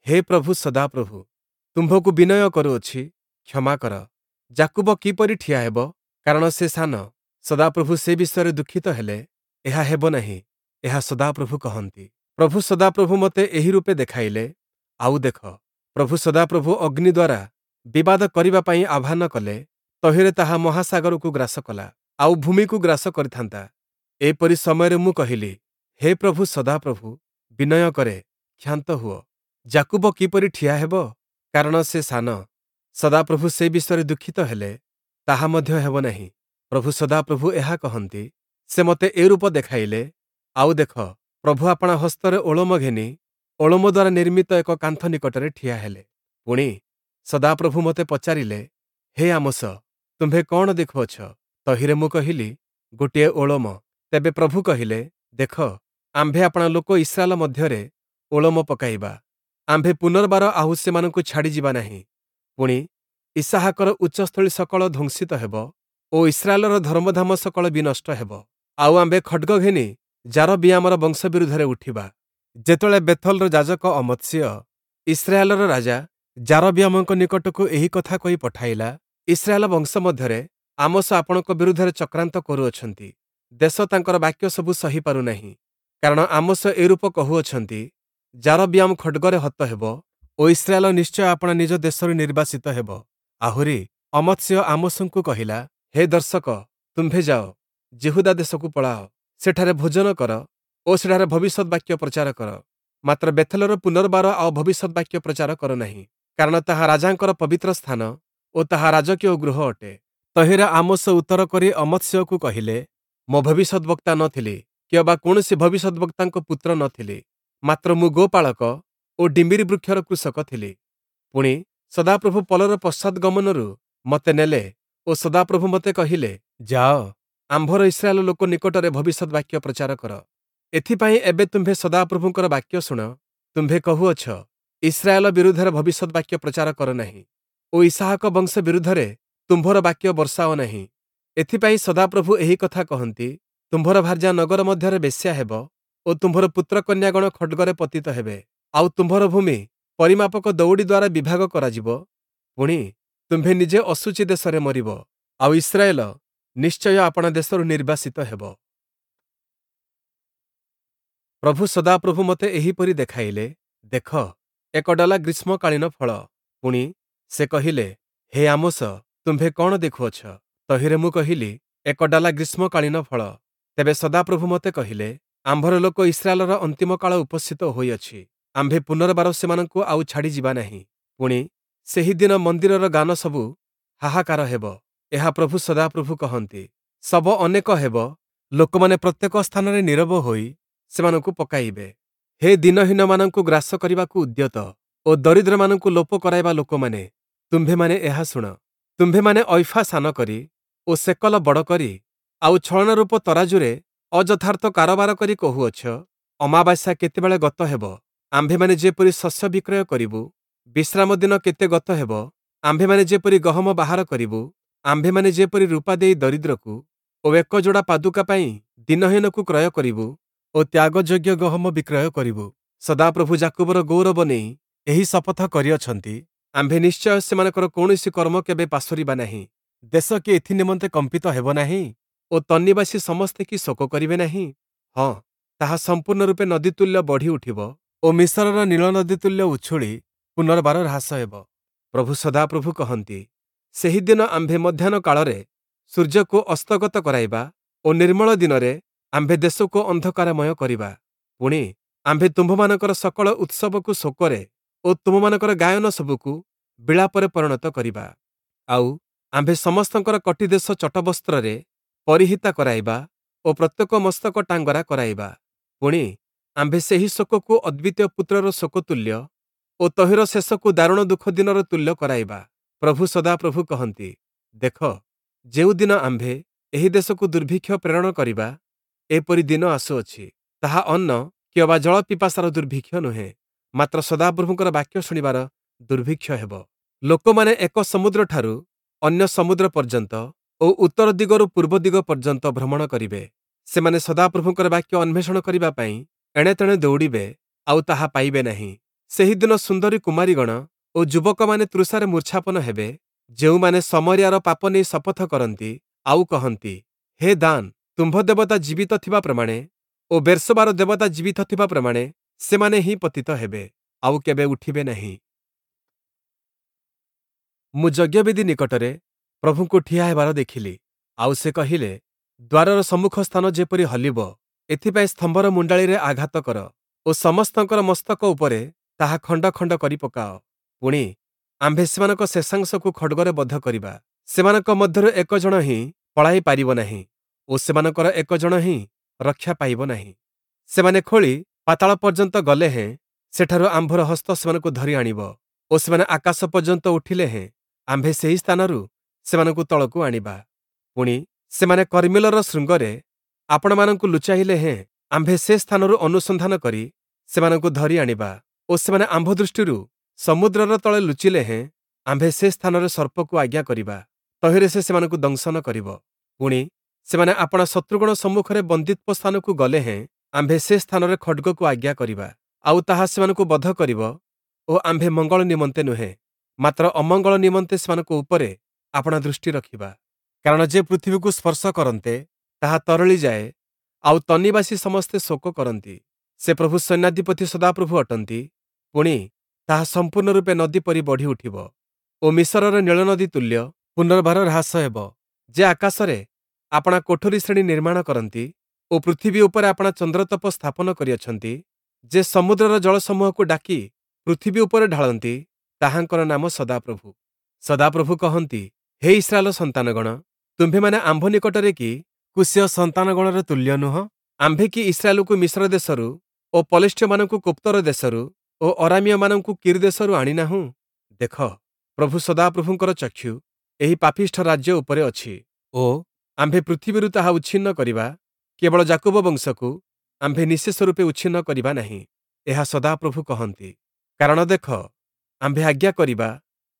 ହେ ପ୍ରଭୁ ସଦାପ୍ରଭୁ, ତୁମ୍ଭକୁ ବିନୟ କରୁଅଛି, କ୍ଷମା କର। ଯାକୁବ କିପରି ଠିଆ ହେବ? କାରଣ ସେ ସାନ। ସଦାପ୍ରଭୁ ସେ ବିଷୟରେ ଦୁଃଖିତ ହେଲେ, ଏହା ହେବ ନାହିଁ, ଏହା ସଦାପ୍ରଭୁ କହନ୍ତି। ପ୍ରଭୁ ସଦାପ୍ରଭୁ ମୋତେ ଏହି ରୂପେ ଦେଖାଇଲେ, ଆଉ ଦେଖ, ପ୍ରଭୁ ସଦାପ୍ରଭୁ ଅଗ୍ନି ଦ୍ୱାରା ବିବାଦ କରିବା ପାଇଁ ଆହ୍ୱାନ କଲେ, ତହିଁରେ ତାହା ମହାସାଗରକୁ ଗ୍ରାସ କଲା, ଆଉ ଭୂମିକୁ ଗ୍ରାସ କରିଥାନ୍ତା। ଏପରି ସମୟରେ ମୁଁ କହିଲି, ହେ ପ୍ରଭୁ ସଦାପ୍ରଭୁ, ବିନୟ କରେ, କ୍ଷାନ୍ତ ହୁଅ। ଯାକୁବ କିପରି ଠିଆ ହେବ? କାରଣ ସେ ସାନ। ସଦାପ୍ରଭୁ ସେ ବିଷୟରେ ଦୁଃଖିତ ହେଲେ, ତାହା ମଧ୍ୟ ହେବ ନାହିଁ। ପ୍ରଭୁ ସଦାପ୍ରଭୁ ଏହା କହନ୍ତି, ସେ ମୋତେ ଏ ରୂପ ଦେଖାଇଲେ, ଆଉ ଦେଖ, ପ୍ରଭୁ ଆପଣା ହସ୍ତରେ ଓଳମ ଘେନି ଓଳମ ଦ୍ୱାରା ନିର୍ମିତ ଏକ କାନ୍ଥ ନିକଟରେ ଠିଆ ହେଲେ। ପୁଣି, ସଦାପ୍ରଭୁ ମୋତେ ପଚାରିଲେ, ହେ ଆମୋସ, ତୁମ୍ଭେ କଅଣ ଦେଖୁଅଛ? ତହିଁରେ ମୁଁ କହିଲି, ଗୋଟିଏ ଓଳମ। ତେବେ ପ୍ରଭୁ କହିଲେ, ଦେଖ, ଆମ୍ଭେ ଆପଣା ଲୋକ ଇସ୍ରାଏଲ ମଧ୍ୟରେ ଓଳମ ପକାଇବା। ଆମ୍ଭେ ପୁନର୍ବାର ଆହୁ ସେମାନଙ୍କୁ ଛାଡ଼ିଯିବା ନାହିଁ। ପୁଣି, ଇସ୍ହାକର ଉଚ୍ଚସ୍ଥଳୀ ସକଳ ଧ୍ୱଂସିତ ହେବ ଓ ଇସ୍ରାଏଲର ଧର୍ମଧାମ ସକଳ ବିନଷ୍ଟ ହେବ। ଆଉ ଆମ୍ଭେ ଖଡ଼୍ଗ ଘେନି ଯାରବିୟାମର ବଂଶ ବିରୁଦ୍ଧରେ ଉଠିବା। ଯେତେବେଳେ ବେଥଲର ଯାଜକ ଅମତ୍ସିୟ ଇସ୍ରାଏଲର ରାଜା ଯାରବିୟାମଙ୍କ ନିକଟକୁ ଏହି କଥା କହି ପଠାଇଲା, ଇସ୍ରାଏଲ ବଂଶ ମଧ୍ୟରେ ଆମୋସ ଆପଣଙ୍କ ବିରୁଦ୍ଧରେ ଚକ୍ରାନ୍ତ କରୁଅଛନ୍ତି। ଦେଶ ତାଙ୍କର ବାକ୍ୟ ସବୁ ସହି ପାରୁନାହିଁ। କାରଣ ଆମୋସ ଏରୂପ କହୁଅଛନ୍ତି, ଯାରବିୟାମ ଖଡ଼୍ଗରେ ହତ ହେବ ଓ ଇସ୍ରାଏଲ ନିଶ୍ଚୟ ଆପଣା ନିଜ ଦେଶରୁ ନିର୍ବାସିତ ହେବ। ଆହୁରି ଅମତ୍ସିୟ ଆମୋସଙ୍କୁ କହିଲା, ହେ ଦର୍ଶକ, ତୁମ୍ଭେ ଯାଅ, ଯିହୁଦା ଦେଶକୁ ପଳାଅ, ସେଠାରେ ଭୋଜନ କର ଓ ସେଠାରେ ଭବିଷ୍ୟଦ୍‌ବାକ୍ୟ ପ୍ରଚାର କର। ମାତ୍ର ବେଥଲର ପୁନର୍ବାର ଆଉ ଭବିଷ୍ୟଦ୍‌ବାକ୍ୟ ପ୍ରଚାର କର ନାହିଁ, କାରଣ ତାହା ରାଜାଙ୍କର ପବିତ୍ର ସ୍ଥାନ ଓ ତାହା ରାଜକୀୟ ଗୃହ ଅଟେ। ତହିଁରେ ଆମୋସ ଉତ୍ତର କରି ଅମତ୍ସିୟକୁ କହିଲେ, ମୁଁ ଭବିଷ୍ୟଦ୍‌ବକ୍ତା ନ ଥିଲି, କିଅବା କୌଣସି ଭବିଷ୍ୟଦ୍‌ବକ୍ତାଙ୍କ ପୁତ୍ର ନ ଥିଲି, ମାତ୍ର ମୁଁ ଗୋପାଳକ ଓ ଡିମ୍ବିରି ବୃକ୍ଷର କୃଷକ ଥିଲି। ପୁଣି, ସଦାପ୍ରଭୁ ପଲର ପଶ୍ଚାଦ୍‌ଗମନରୁ ମୋତେ ନେଲେ ଓ ସଦାପ୍ରଭୁ ମୋତେ କହିଲେ, ଯାଅ, ଆମ୍ଭର ଇସ୍ରାଏଲ ଲୋକ ନିକଟରେ ଭବିଷ୍ୟଦ୍‌ବାକ୍ୟ ପ୍ରଚାର କର। ଏଥିପାଇଁ ଏବେ ତୁମ୍ଭେ ସଦାପ୍ରଭୁଙ୍କର ବାକ୍ୟ ଶୁଣ। ତୁମ୍ଭେ କହୁଅଛ, ଇସ୍ରାଏଲ ବିରୁଦ୍ଧରେ ଭବିଷ୍ୟଦ୍‌ବାକ୍ୟ ପ୍ରଚାର କର ନାହିଁ ଓ ଇସ୍ହାକ ବଂଶ ବିରୁଦ୍ଧରେ ତୁମ୍ଭର ବାକ୍ୟ ବର୍ଷାଅ ନାହିଁ। ଏଥିପାଇଁ ସଦାପ୍ରଭୁ ଏହି କଥା କହନ୍ତି, ତୁମ୍ଭର ଭାର୍ଯ୍ୟା ନଗର ମଧ୍ୟରେ ବେଶ୍ୟା ହେବ ଓ ତୁମ୍ଭର ପୁତ୍ରକନ୍ୟାଗଣ ଖଡ଼୍ଗରେ ପତିତ ହେବେ। ଆଉ ତୁମ୍ଭର ଭୂମି ପରିମାପକ ଦଉଡ଼ି ଦ୍ୱାରା ବିଭାଗ କରାଯିବ। ପୁଣି, ତୁମ୍ଭେ ନିଜେ ଅଶୁଚି ଦେଶରେ ମରିବ, ଆଉ ଇସ୍ରାଏଲ ନିଶ୍ଚୟ ଆପଣା ଦେଶରୁ ନିର୍ବାସିତ ହେବ। ପ୍ରଭୁ ସଦାପ୍ରଭୁ ମୋତେ ଏହିପରି ଦେଖାଇଲେ, ଦେଖ, ଏକ ଡଲା ଗ୍ରୀଷ୍ମକାଳୀନ ଫଳ। ପୁଣି, ସେ କହିଲେ, ହେ ଆମୋସ, ତୁମ୍ଭେ କଅଣ ଦେଖୁଅଛ? ତହିଁରେ ମୁଁ କହିଲି, ଏକ ଡଲା ଗ୍ରୀଷ୍ମକାଳୀନ ଫଳ। ତେବେ ସଦାପ୍ରଭୁ ମୋତେ କହିଲେ, ଆମ୍ଭର ଲୋକ ଇସ୍ରାଏଲର ଅନ୍ତିମ କାଳ ଉପସ୍ଥିତ ହୋଇଅଛି। ଆମ୍ଭେ ପୁନର୍ବାର ସେମାନଙ୍କୁ ଆଉ ଛାଡ଼ିଯିବା ନାହିଁ। ପୁଣି, ସେହି ଦିନ ମନ୍ଦିରର ଗାନ ସବୁ ହାହାକାର ହେବ। ଏହା ପ୍ରଭୁ ସଦାପ୍ରଭୁ କହନ୍ତି। ଶବ ଅନେକ ହେବ, ଲୋକମାନେ ପ୍ରତ୍ୟେକ ସ୍ଥାନରେ ନୀରବ ହୋଇ ସେମାନଙ୍କୁ ପକାଇବେ। ହେ ଦୀନହୀନମାନଙ୍କୁ ଗ୍ରାସ କରିବାକୁ ଉଦ୍ୟତ ଓ ଦରିଦ୍ରମାନଙ୍କୁ ଲୋପ କରାଇବା ଲୋକମାନେ, ତୁମ୍ଭେମାନେ ଏହା ଶୁଣ। ତୁମ୍ଭେମାନେ ଐଫା ସାନ କରି ଓ ସେକଲ ବଡ଼ କରି ଆଉ ଛଳନାରୂପ ତରାଜୁରେ ଅଯଥାର୍ଥ କାରବାର କରି କହୁଅଛ, ଅମାବାସ୍ୟା କେତେବେଳେ ଗତ ହେବ, ଆମ୍ଭେମାନେ ଯେପରି ଶସ୍ୟ ବିକ୍ରୟ କରିବୁ? ବିଶ୍ରାମ ଦିନ କେତେ ଗତ ହେବ, ଆମ୍ଭେମାନେ ଯେପରି ଗହମ ବାହାର କରିବୁ? ଆମ୍ଭେମାନେ ଯେପରି ରୂପା ଦେଇ ଦରିଦ୍ରକୁ ଓ ଏକ ଯୋଡ଼ା ପାଦୁକା ପାଇଁ ଦୀନହୀନକୁ କ୍ରୟ କରିବୁ ଓ ତ୍ୟାଗଯୋଗ୍ୟ ଗହମ ବିକ୍ରୟ କରିବୁ? ସଦାପ୍ରଭୁ ଯାକୁବର ଗୌରବ ନେଇ ଏହି ଶପଥ କରିଅଛନ୍ତି, ଆମ୍ଭେ ନିଶ୍ଚୟ ସେମାନଙ୍କର କୌଣସି କର୍ମ କେବେ ପାସୋରିବା ନାହିଁ। ଦେଶ କି ଏଥି ନିମନ୍ତେ କମ୍ପିତ ହେବ ନାହିଁ ଓ ତନ୍ନିବାସୀ ସମସ୍ତେ କି ଶୋକ କରିବେ ନାହିଁ? ହଁ, ତାହା ସମ୍ପୂର୍ଣ୍ଣ ରୂପେ ନଦୀ ତୁଲ୍ୟ ବଢ଼ି ଉଠିବ ଓ ମିଶରର ନୀଳ ନଦୀ ତୁଲ୍ୟ ଉଛୁଳି ପୁନର୍ବାର ହ୍ରାସ ହେବ। ପ୍ରଭୁ ସଦାପ୍ରଭୁ କହନ୍ତି, ସେହି ଦିନ ଆମ୍ଭେ ମଧ୍ୟାହ୍ନ କାଳରେ ସୂର୍ଯ୍ୟକୁ ଅସ୍ତଗତ କରାଇବା ଓ ନିର୍ମଳ ଦିନରେ ଆମ୍ଭେ ଦେଶକୁ ଅନ୍ଧକାରମୟ କରିବା। ପୁଣି, ଆମ୍ଭେ ତୁମ୍ଭମାନଙ୍କର ସକଳ ଉତ୍ସବକୁ ଶୋକରେ ଓ ତୁମମାନଙ୍କର ଗାୟନ ସବୁକୁ ବିଳାପରେ ପରିଣତ କରିବା। ଆଉ ଆମ୍ଭେ ସମସ୍ତଙ୍କର କଟିଦେଶ ଚଟବସ୍ତ୍ରରେ ପରିହିତା କରାଇବା ଓ ପ୍ରତ୍ୟେକ ମସ୍ତକ ଟାଙ୍ଗରା କରାଇବା। ପୁଣି, ଆମ୍ଭେ ସେହି ଶୋକକୁ ଅଦ୍ୱିତୀୟ ପୁତ୍ରର ଶୋକ ତୁଲ୍ୟ ଓ ତହିଁର ଶେଷକୁ ଦାରୁଣ ଦୁଃଖ ଦିନର ତୁଲ୍ୟ କରାଇବା। ପ୍ରଭୁ ସଦାପ୍ରଭୁ କହନ୍ତି, ଦେଖ, ଯେଉଁଦିନ ଆମ୍ଭେ ଏହି ଦେଶକୁ ଦୁର୍ଭିକ୍ଷ ପ୍ରେରଣ କରିବା, ଏପରି ଦିନ ଆସୁଅଛି। ତାହା ଅନ୍ନ କିଅବା ଜଳ ପିପାସାର ଦୁର୍ଭିକ୍ଷ ନୁହେଁ, ମାତ୍ର ସଦାପ୍ରଭୁଙ୍କର ବାକ୍ୟ ଶୁଣିବାର ଦୁର୍ଭିକ୍ଷ ହେବ। ଲୋକମାନେ ଏକ ସମୁଦ୍ରଠାରୁ ଅନ୍ୟ ସମୁଦ୍ର ପର୍ଯ୍ୟନ୍ତ ଓ ଉତ୍ତର ଦିଗରୁ ପୂର୍ବ ଦିଗ ପର୍ଯ୍ୟନ୍ତ ଭ୍ରମଣ କରିବେ। ସେମାନେ ସଦାପ୍ରଭୁଙ୍କର ବାକ୍ୟ ଅନ୍ୱେଷଣ କରିବା ପାଇଁ ଏଣେତେଣେ ଦୌଡ଼ିବେ, ଆଉ ତାହା ପାଇବେ ନାହିଁ। ସେହିଦିନ ସୁନ୍ଦରୀ କୁମାରୀଗଣ ଓ ଯୁବକମାନେ ତୃଷାରେ ମୂର୍ଚ୍ଛାପନ ହେବେ, ଯେଉଁମାନେ ଶମରିୟାର ପାପ ନେଇ ଶପଥ କରନ୍ତି ଆଉ କହନ୍ତି, ହେ ଦାନ, ତୁମ୍ଭ ଦେବତା ଜୀବିତ ଥିବା ପ୍ରମାଣେ ଓ ବେର୍ଶବାର ଦେବତା ଜୀବିତ ଥିବା ପ୍ରମାଣେ ସେମାନେ ହିଁ ପତିତ ହେବେ, ଆଉ କେବେ ଉଠିବେ ନାହିଁ। ମୁଁ ଯଜ୍ଞବେଦୀ ନିକଟରେ ପ୍ରଭୁଙ୍କୁ ଠିଆ ହେବାର ଦେଖିଲି, ଆଉ ସେ କହିଲେ, ଦ୍ୱାରର ସମ୍ମୁଖ ସ୍ଥାନ ଯେପରି ହଲିବ, ଏଥିପାଇଁ ସ୍ତମ୍ଭର ମୁଣ୍ଡାଳିରେ ଆଘାତ କର ଓ ସମସ୍ତଙ୍କର ମସ୍ତକ ଉପରେ ତାହା ଖଣ୍ଡ ଖଣ୍ଡ କରି ପକାଅ। ପୁଣି, ଆମ୍ଭେ ସେମାନଙ୍କ ଶେଷାଂଶକୁ ଖଡ଼୍ଗରେ ବଧ କରିବା। ସେମାନଙ୍କ ମଧ୍ୟରୁ ଏକ ଜଣ ହିଁ ପଳାଇ ପାରିବ ନାହିଁ ଓ ସେମାନଙ୍କର ଏକ ଜଣ ହିଁ ରକ୍ଷା ପାଇବ ନାହିଁ। ସେମାନେ ଖୋଳି ପାତାଳ ପର୍ଯ୍ୟନ୍ତ ଗଲେ ହେଁ ସେଠାରୁ ଆମ୍ଭର ହସ୍ତ ସେମାନଙ୍କୁ ଧରି ଆଣିବ ଓ ସେମାନେ ଆକାଶ ପର୍ଯ୍ୟନ୍ତ ଉଠିଲେ ହେଁ ଆମ୍ଭେ ସେହି ସ୍ଥାନରୁ ସେମାନଙ୍କୁ ତଳକୁ ଆଣିବା। ପୁଣି, ସେମାନେ କର୍ମିଲର ଶୃଙ୍ଗରେ ଆପଣାମାନଙ୍କୁ ଲୁଚାଇଲେ ହେଁ ଆମ୍ଭେ ସେ ସ୍ଥାନରୁ ଅନୁସନ୍ଧାନ କରି ସେମାନଙ୍କୁ ଧରି ଆଣିବା ଓ ସେମାନେ ଆମ୍ଭ ଦୃଷ୍ଟିରୁ ସମୁଦ୍ରର ତଳେ ଲୁଚିଲେ ହେଁ ଆମ୍ଭେ ସେ ସ୍ଥାନରେ ସର୍ପକୁ ଆଜ୍ଞା କରିବା, ତହିଁରେ ସେ ସେମାନଙ୍କୁ ଦଂଶନ କରିବ। ପୁଣି, ସେମାନେ ଆପଣା ଶତ୍ରୁଗଣ ସମ୍ମୁଖରେ ବନ୍ଦୀତ୍ୱ ସ୍ଥାନକୁ ଗଲେ ହେଁ ଆମ୍ଭେ ସେ ସ୍ଥାନରେ ଖଡ଼୍ଗକୁ ଆଜ୍ଞା କରିବା, ଆଉ ତାହା ସେମାନଙ୍କୁ ବଧ କରିବ ଓ ଆମ୍ଭେ ମଙ୍ଗଳ ନିମନ୍ତେ ନୁହେଁ, ମାତ୍ର ଅମଙ୍ଗଳ ନିମନ୍ତେ ସେମାନଙ୍କ ଉପରେ ଆପଣା ଦୃଷ୍ଟି ରଖିବା। କାରଣ ଯେ ପୃଥିବୀକୁ ସ୍ପର୍ଶ କରନ୍ତେ, ତାହା ତରଳି ଯାଏ, ଆଉ ତନ୍ନିବାସୀ ସମସ୍ତେ ଶୋକ କରନ୍ତି। ସେ ପ୍ରଭୁ ସୈନ୍ୟାଧିପତି ସଦାପ୍ରଭୁ ଅଟନ୍ତି। ପୁଣି, ତାହା ସମ୍ପୂର୍ଣ୍ଣ ରୂପେ ନଦୀ ପରି ବଢ଼ି ଉଠିବ ଓ ମିଶରର ନୀଳନଦୀ ତୁଲ୍ୟ ପୁନର୍ବାର ହ୍ରାସ ହେବ। ଯେ ଆକାଶରେ ଆପଣା କୋଠରୀ ଶ୍ରେଣୀ ନିର୍ମାଣ କରନ୍ତି ଓ ପୃଥିବୀ ଉପରେ ଆପଣା ଚନ୍ଦ୍ରତପ ସ୍ଥାପନ କରିଅଛନ୍ତି, ଯେ ସମୁଦ୍ରର ଜଳସମୂହକୁ ଡାକି ପୃଥିବୀ ଉପରେ ଢାଳନ୍ତି, ତାହାଙ୍କର ନାମ ସଦାପ୍ରଭୁ। ସଦାପ୍ରଭୁ କହନ୍ତି, ହେ ଇସ୍ରାଏଲ ସନ୍ତାନଗଣ, ତୁମ୍ଭେମାନେ ଆମ୍ଭ ନିକଟରେ କି କୁଶୀୟ ସନ୍ତାନଗଣର ତୁଲ୍ୟ ନୁହଁ? ଆମ୍ଭେ କି ଇସ୍ରାଏଲକୁ ମିଶ୍ର ଦେଶରୁ ଓ ପଲେଷ୍ଟୀୟମାନଙ୍କୁ କୋପ୍ତର ଦେଶରୁ ଓ ଅରାମୀୟମାନଙ୍କୁ କୀର୍ ଦେଶରୁ ଆଣିନାହୁଁ? ଦେଖ, ପ୍ରଭୁ ସଦାପ୍ରଭୁଙ୍କର ଚକ୍ଷୁ ଏହି ପାପିଷ୍ଠ ରାଜ୍ୟ ଉପରେ ଅଛି ଓ ଆମ୍ଭେ ପୃଥିବୀରୁ ତାହା ଉଚ୍ଛିନ୍ନ କରିବା, କେବଳ ଯାକୁବ ବଂଶକୁ ଆମ୍ଭେ ନିଃଶେଷ ରୂପେ ଉଚ୍ଛିନ୍ନ କରିବା ନାହିଁ। ଏହା ସଦାପ୍ରଭୁ କହନ୍ତି। କାରଣ ଦେଖ, ଆମ୍ଭେ ଆଜ୍ଞା କରିବା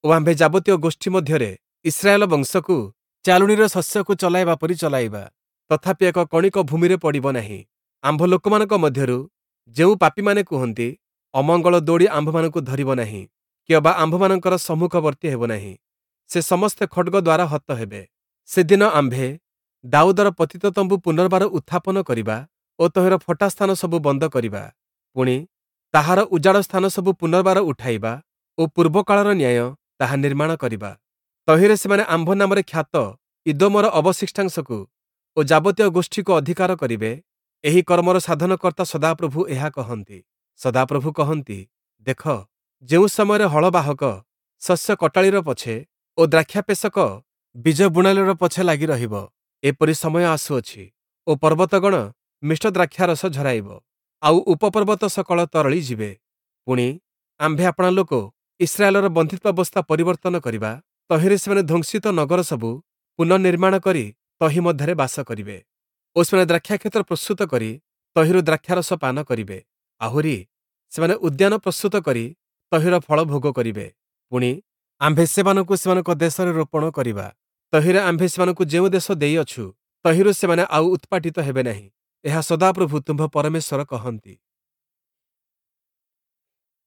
ଓ ଆମ୍ଭେ ଯାବତୀୟ ଗୋଷ୍ଠୀ ମଧ୍ୟରେ ଇସ୍ରାଏଲ ବଂଶକୁ ଚାଲୁଣୀର ଶସ୍ୟକୁ ଚଲାଇବା ପରି ଚଲାଇବା, ତଥାପି ଏକ କଣିକ ଭୂମିରେ ପଡ଼ିବ ନାହିଁ। ଆମ୍ଭ ଲୋକମାନଙ୍କ ମଧ୍ୟରୁ ଯେଉଁ ପାପୀମାନେ କୁହନ୍ତି, ଅମଙ୍ଗଳ ଦୌଡ଼ି ଆମ୍ଭମାନଙ୍କୁ ଧରିବ ନାହିଁ, କିଅବା ଆମ୍ଭମାନଙ୍କର ସମ୍ମୁଖବର୍ତ୍ତୀ ହେବ ନାହିଁ, ସେ ସମସ୍ତେ ଖଡ଼୍ଗ ଦ୍ୱାରା ହତ ହେବେ। ସେଦିନ ଆମ୍ଭେ ଦାଉଦର ପତିତ ତମ୍ବୁ ପୁନର୍ବାର ଉତ୍ଥାପନ କରିବା ଓ ତହିଁର ଫଟା ସ୍ଥାନ ସବୁ ବନ୍ଦ କରିବା। ପୁଣି, ତାହାର ଉଜାଡ଼ ସ୍ଥାନ ସବୁ ପୁନର୍ବାର ଉଠାଇବା ଓ ପୂର୍ବକାଳର ନ୍ୟାୟ ତାହା ନିର୍ମାଣ କରିବା। ତହିଁରେ ସେମାନେ ଆମ୍ଭ ନାମରେ ଖ୍ୟାତ ଇଦୋମର ଅବଶିଷ୍ଟାଂଶକୁ ଓ ଯାବତୀୟ ଗୋଷ୍ଠୀକୁ ଅଧିକାର କରିବେ। ଏହି କର୍ମର ସାଧନକର୍ତ୍ତା ସଦାପ୍ରଭୁ ଏହା କହନ୍ତି। ସଦାପ୍ରଭୁ କହନ୍ତି, ଦେଖ, ଯେଉଁ ସମୟରେ ହଳବାହକ ଶସ୍ୟ କଟାଳିର ପଛେ ଓ ଦ୍ରାକ୍ଷାପେଷକ ବୀଜ ବୁଣାଳିର ପଛେ ଲାଗି ରହିବ, ଏପରି ସମୟ ଆସୁଅଛି ଓ ପର୍ବତଗଣ ମିଷ୍ଟ ଦ୍ରାକ୍ଷାରସ ଝରାଇବ, ଆଉ ଉପପର୍ବତ ସକଳ ତରଳି ଯିବେ। ପୁଣି, ଆମ୍ଭେ ଆପଣା ଲୋକ ଇସ୍ରାଏଲର ବନ୍ଦିତ୍ୱାବସ୍ଥା ପରିବର୍ତ୍ତନ କରିବା, ତହିଁରେ ସେମାନେ ଧ୍ୱଂସିତ ନଗର ସବୁ ପୁନଃନିର୍ମାଣ କରି ତହିଁ ମଧ୍ୟରେ ବାସ କରିବେ ଓ ସେମାନେ ଦ୍ରାକ୍ଷାକ୍ଷେତ୍ର ପ୍ରସ୍ତୁତ କରି ତହିଁରୁ ଦ୍ରାକ୍ଷାରସ ପାନ କରିବେ। ଆହୁରି, ସେମାନେ ଉଦ୍ୟାନ ପ୍ରସ୍ତୁତ କରି ତହିଁର ଫଳ ଭୋଗ କରିବେ। ପୁଣି, ଆମ୍ଭେ ସେମାନଙ୍କୁ ସେମାନଙ୍କ ଦେଶରେ ରୋପଣ କରିବା, ତହିଁରେ ଆମ୍ଭେ ସେମାନଙ୍କୁ ଯେଉଁ ଦେଶ ଦେଇଅଛୁ, ତହିଁରୁ ସେମାନେ ଆଉ ଉତ୍ପାଟିତ ହେବେ ନାହିଁ। ଏହା ସଦାପ୍ରଭୁ ତୁମ୍ଭ ପରମେଶ୍ୱର କହନ୍ତି।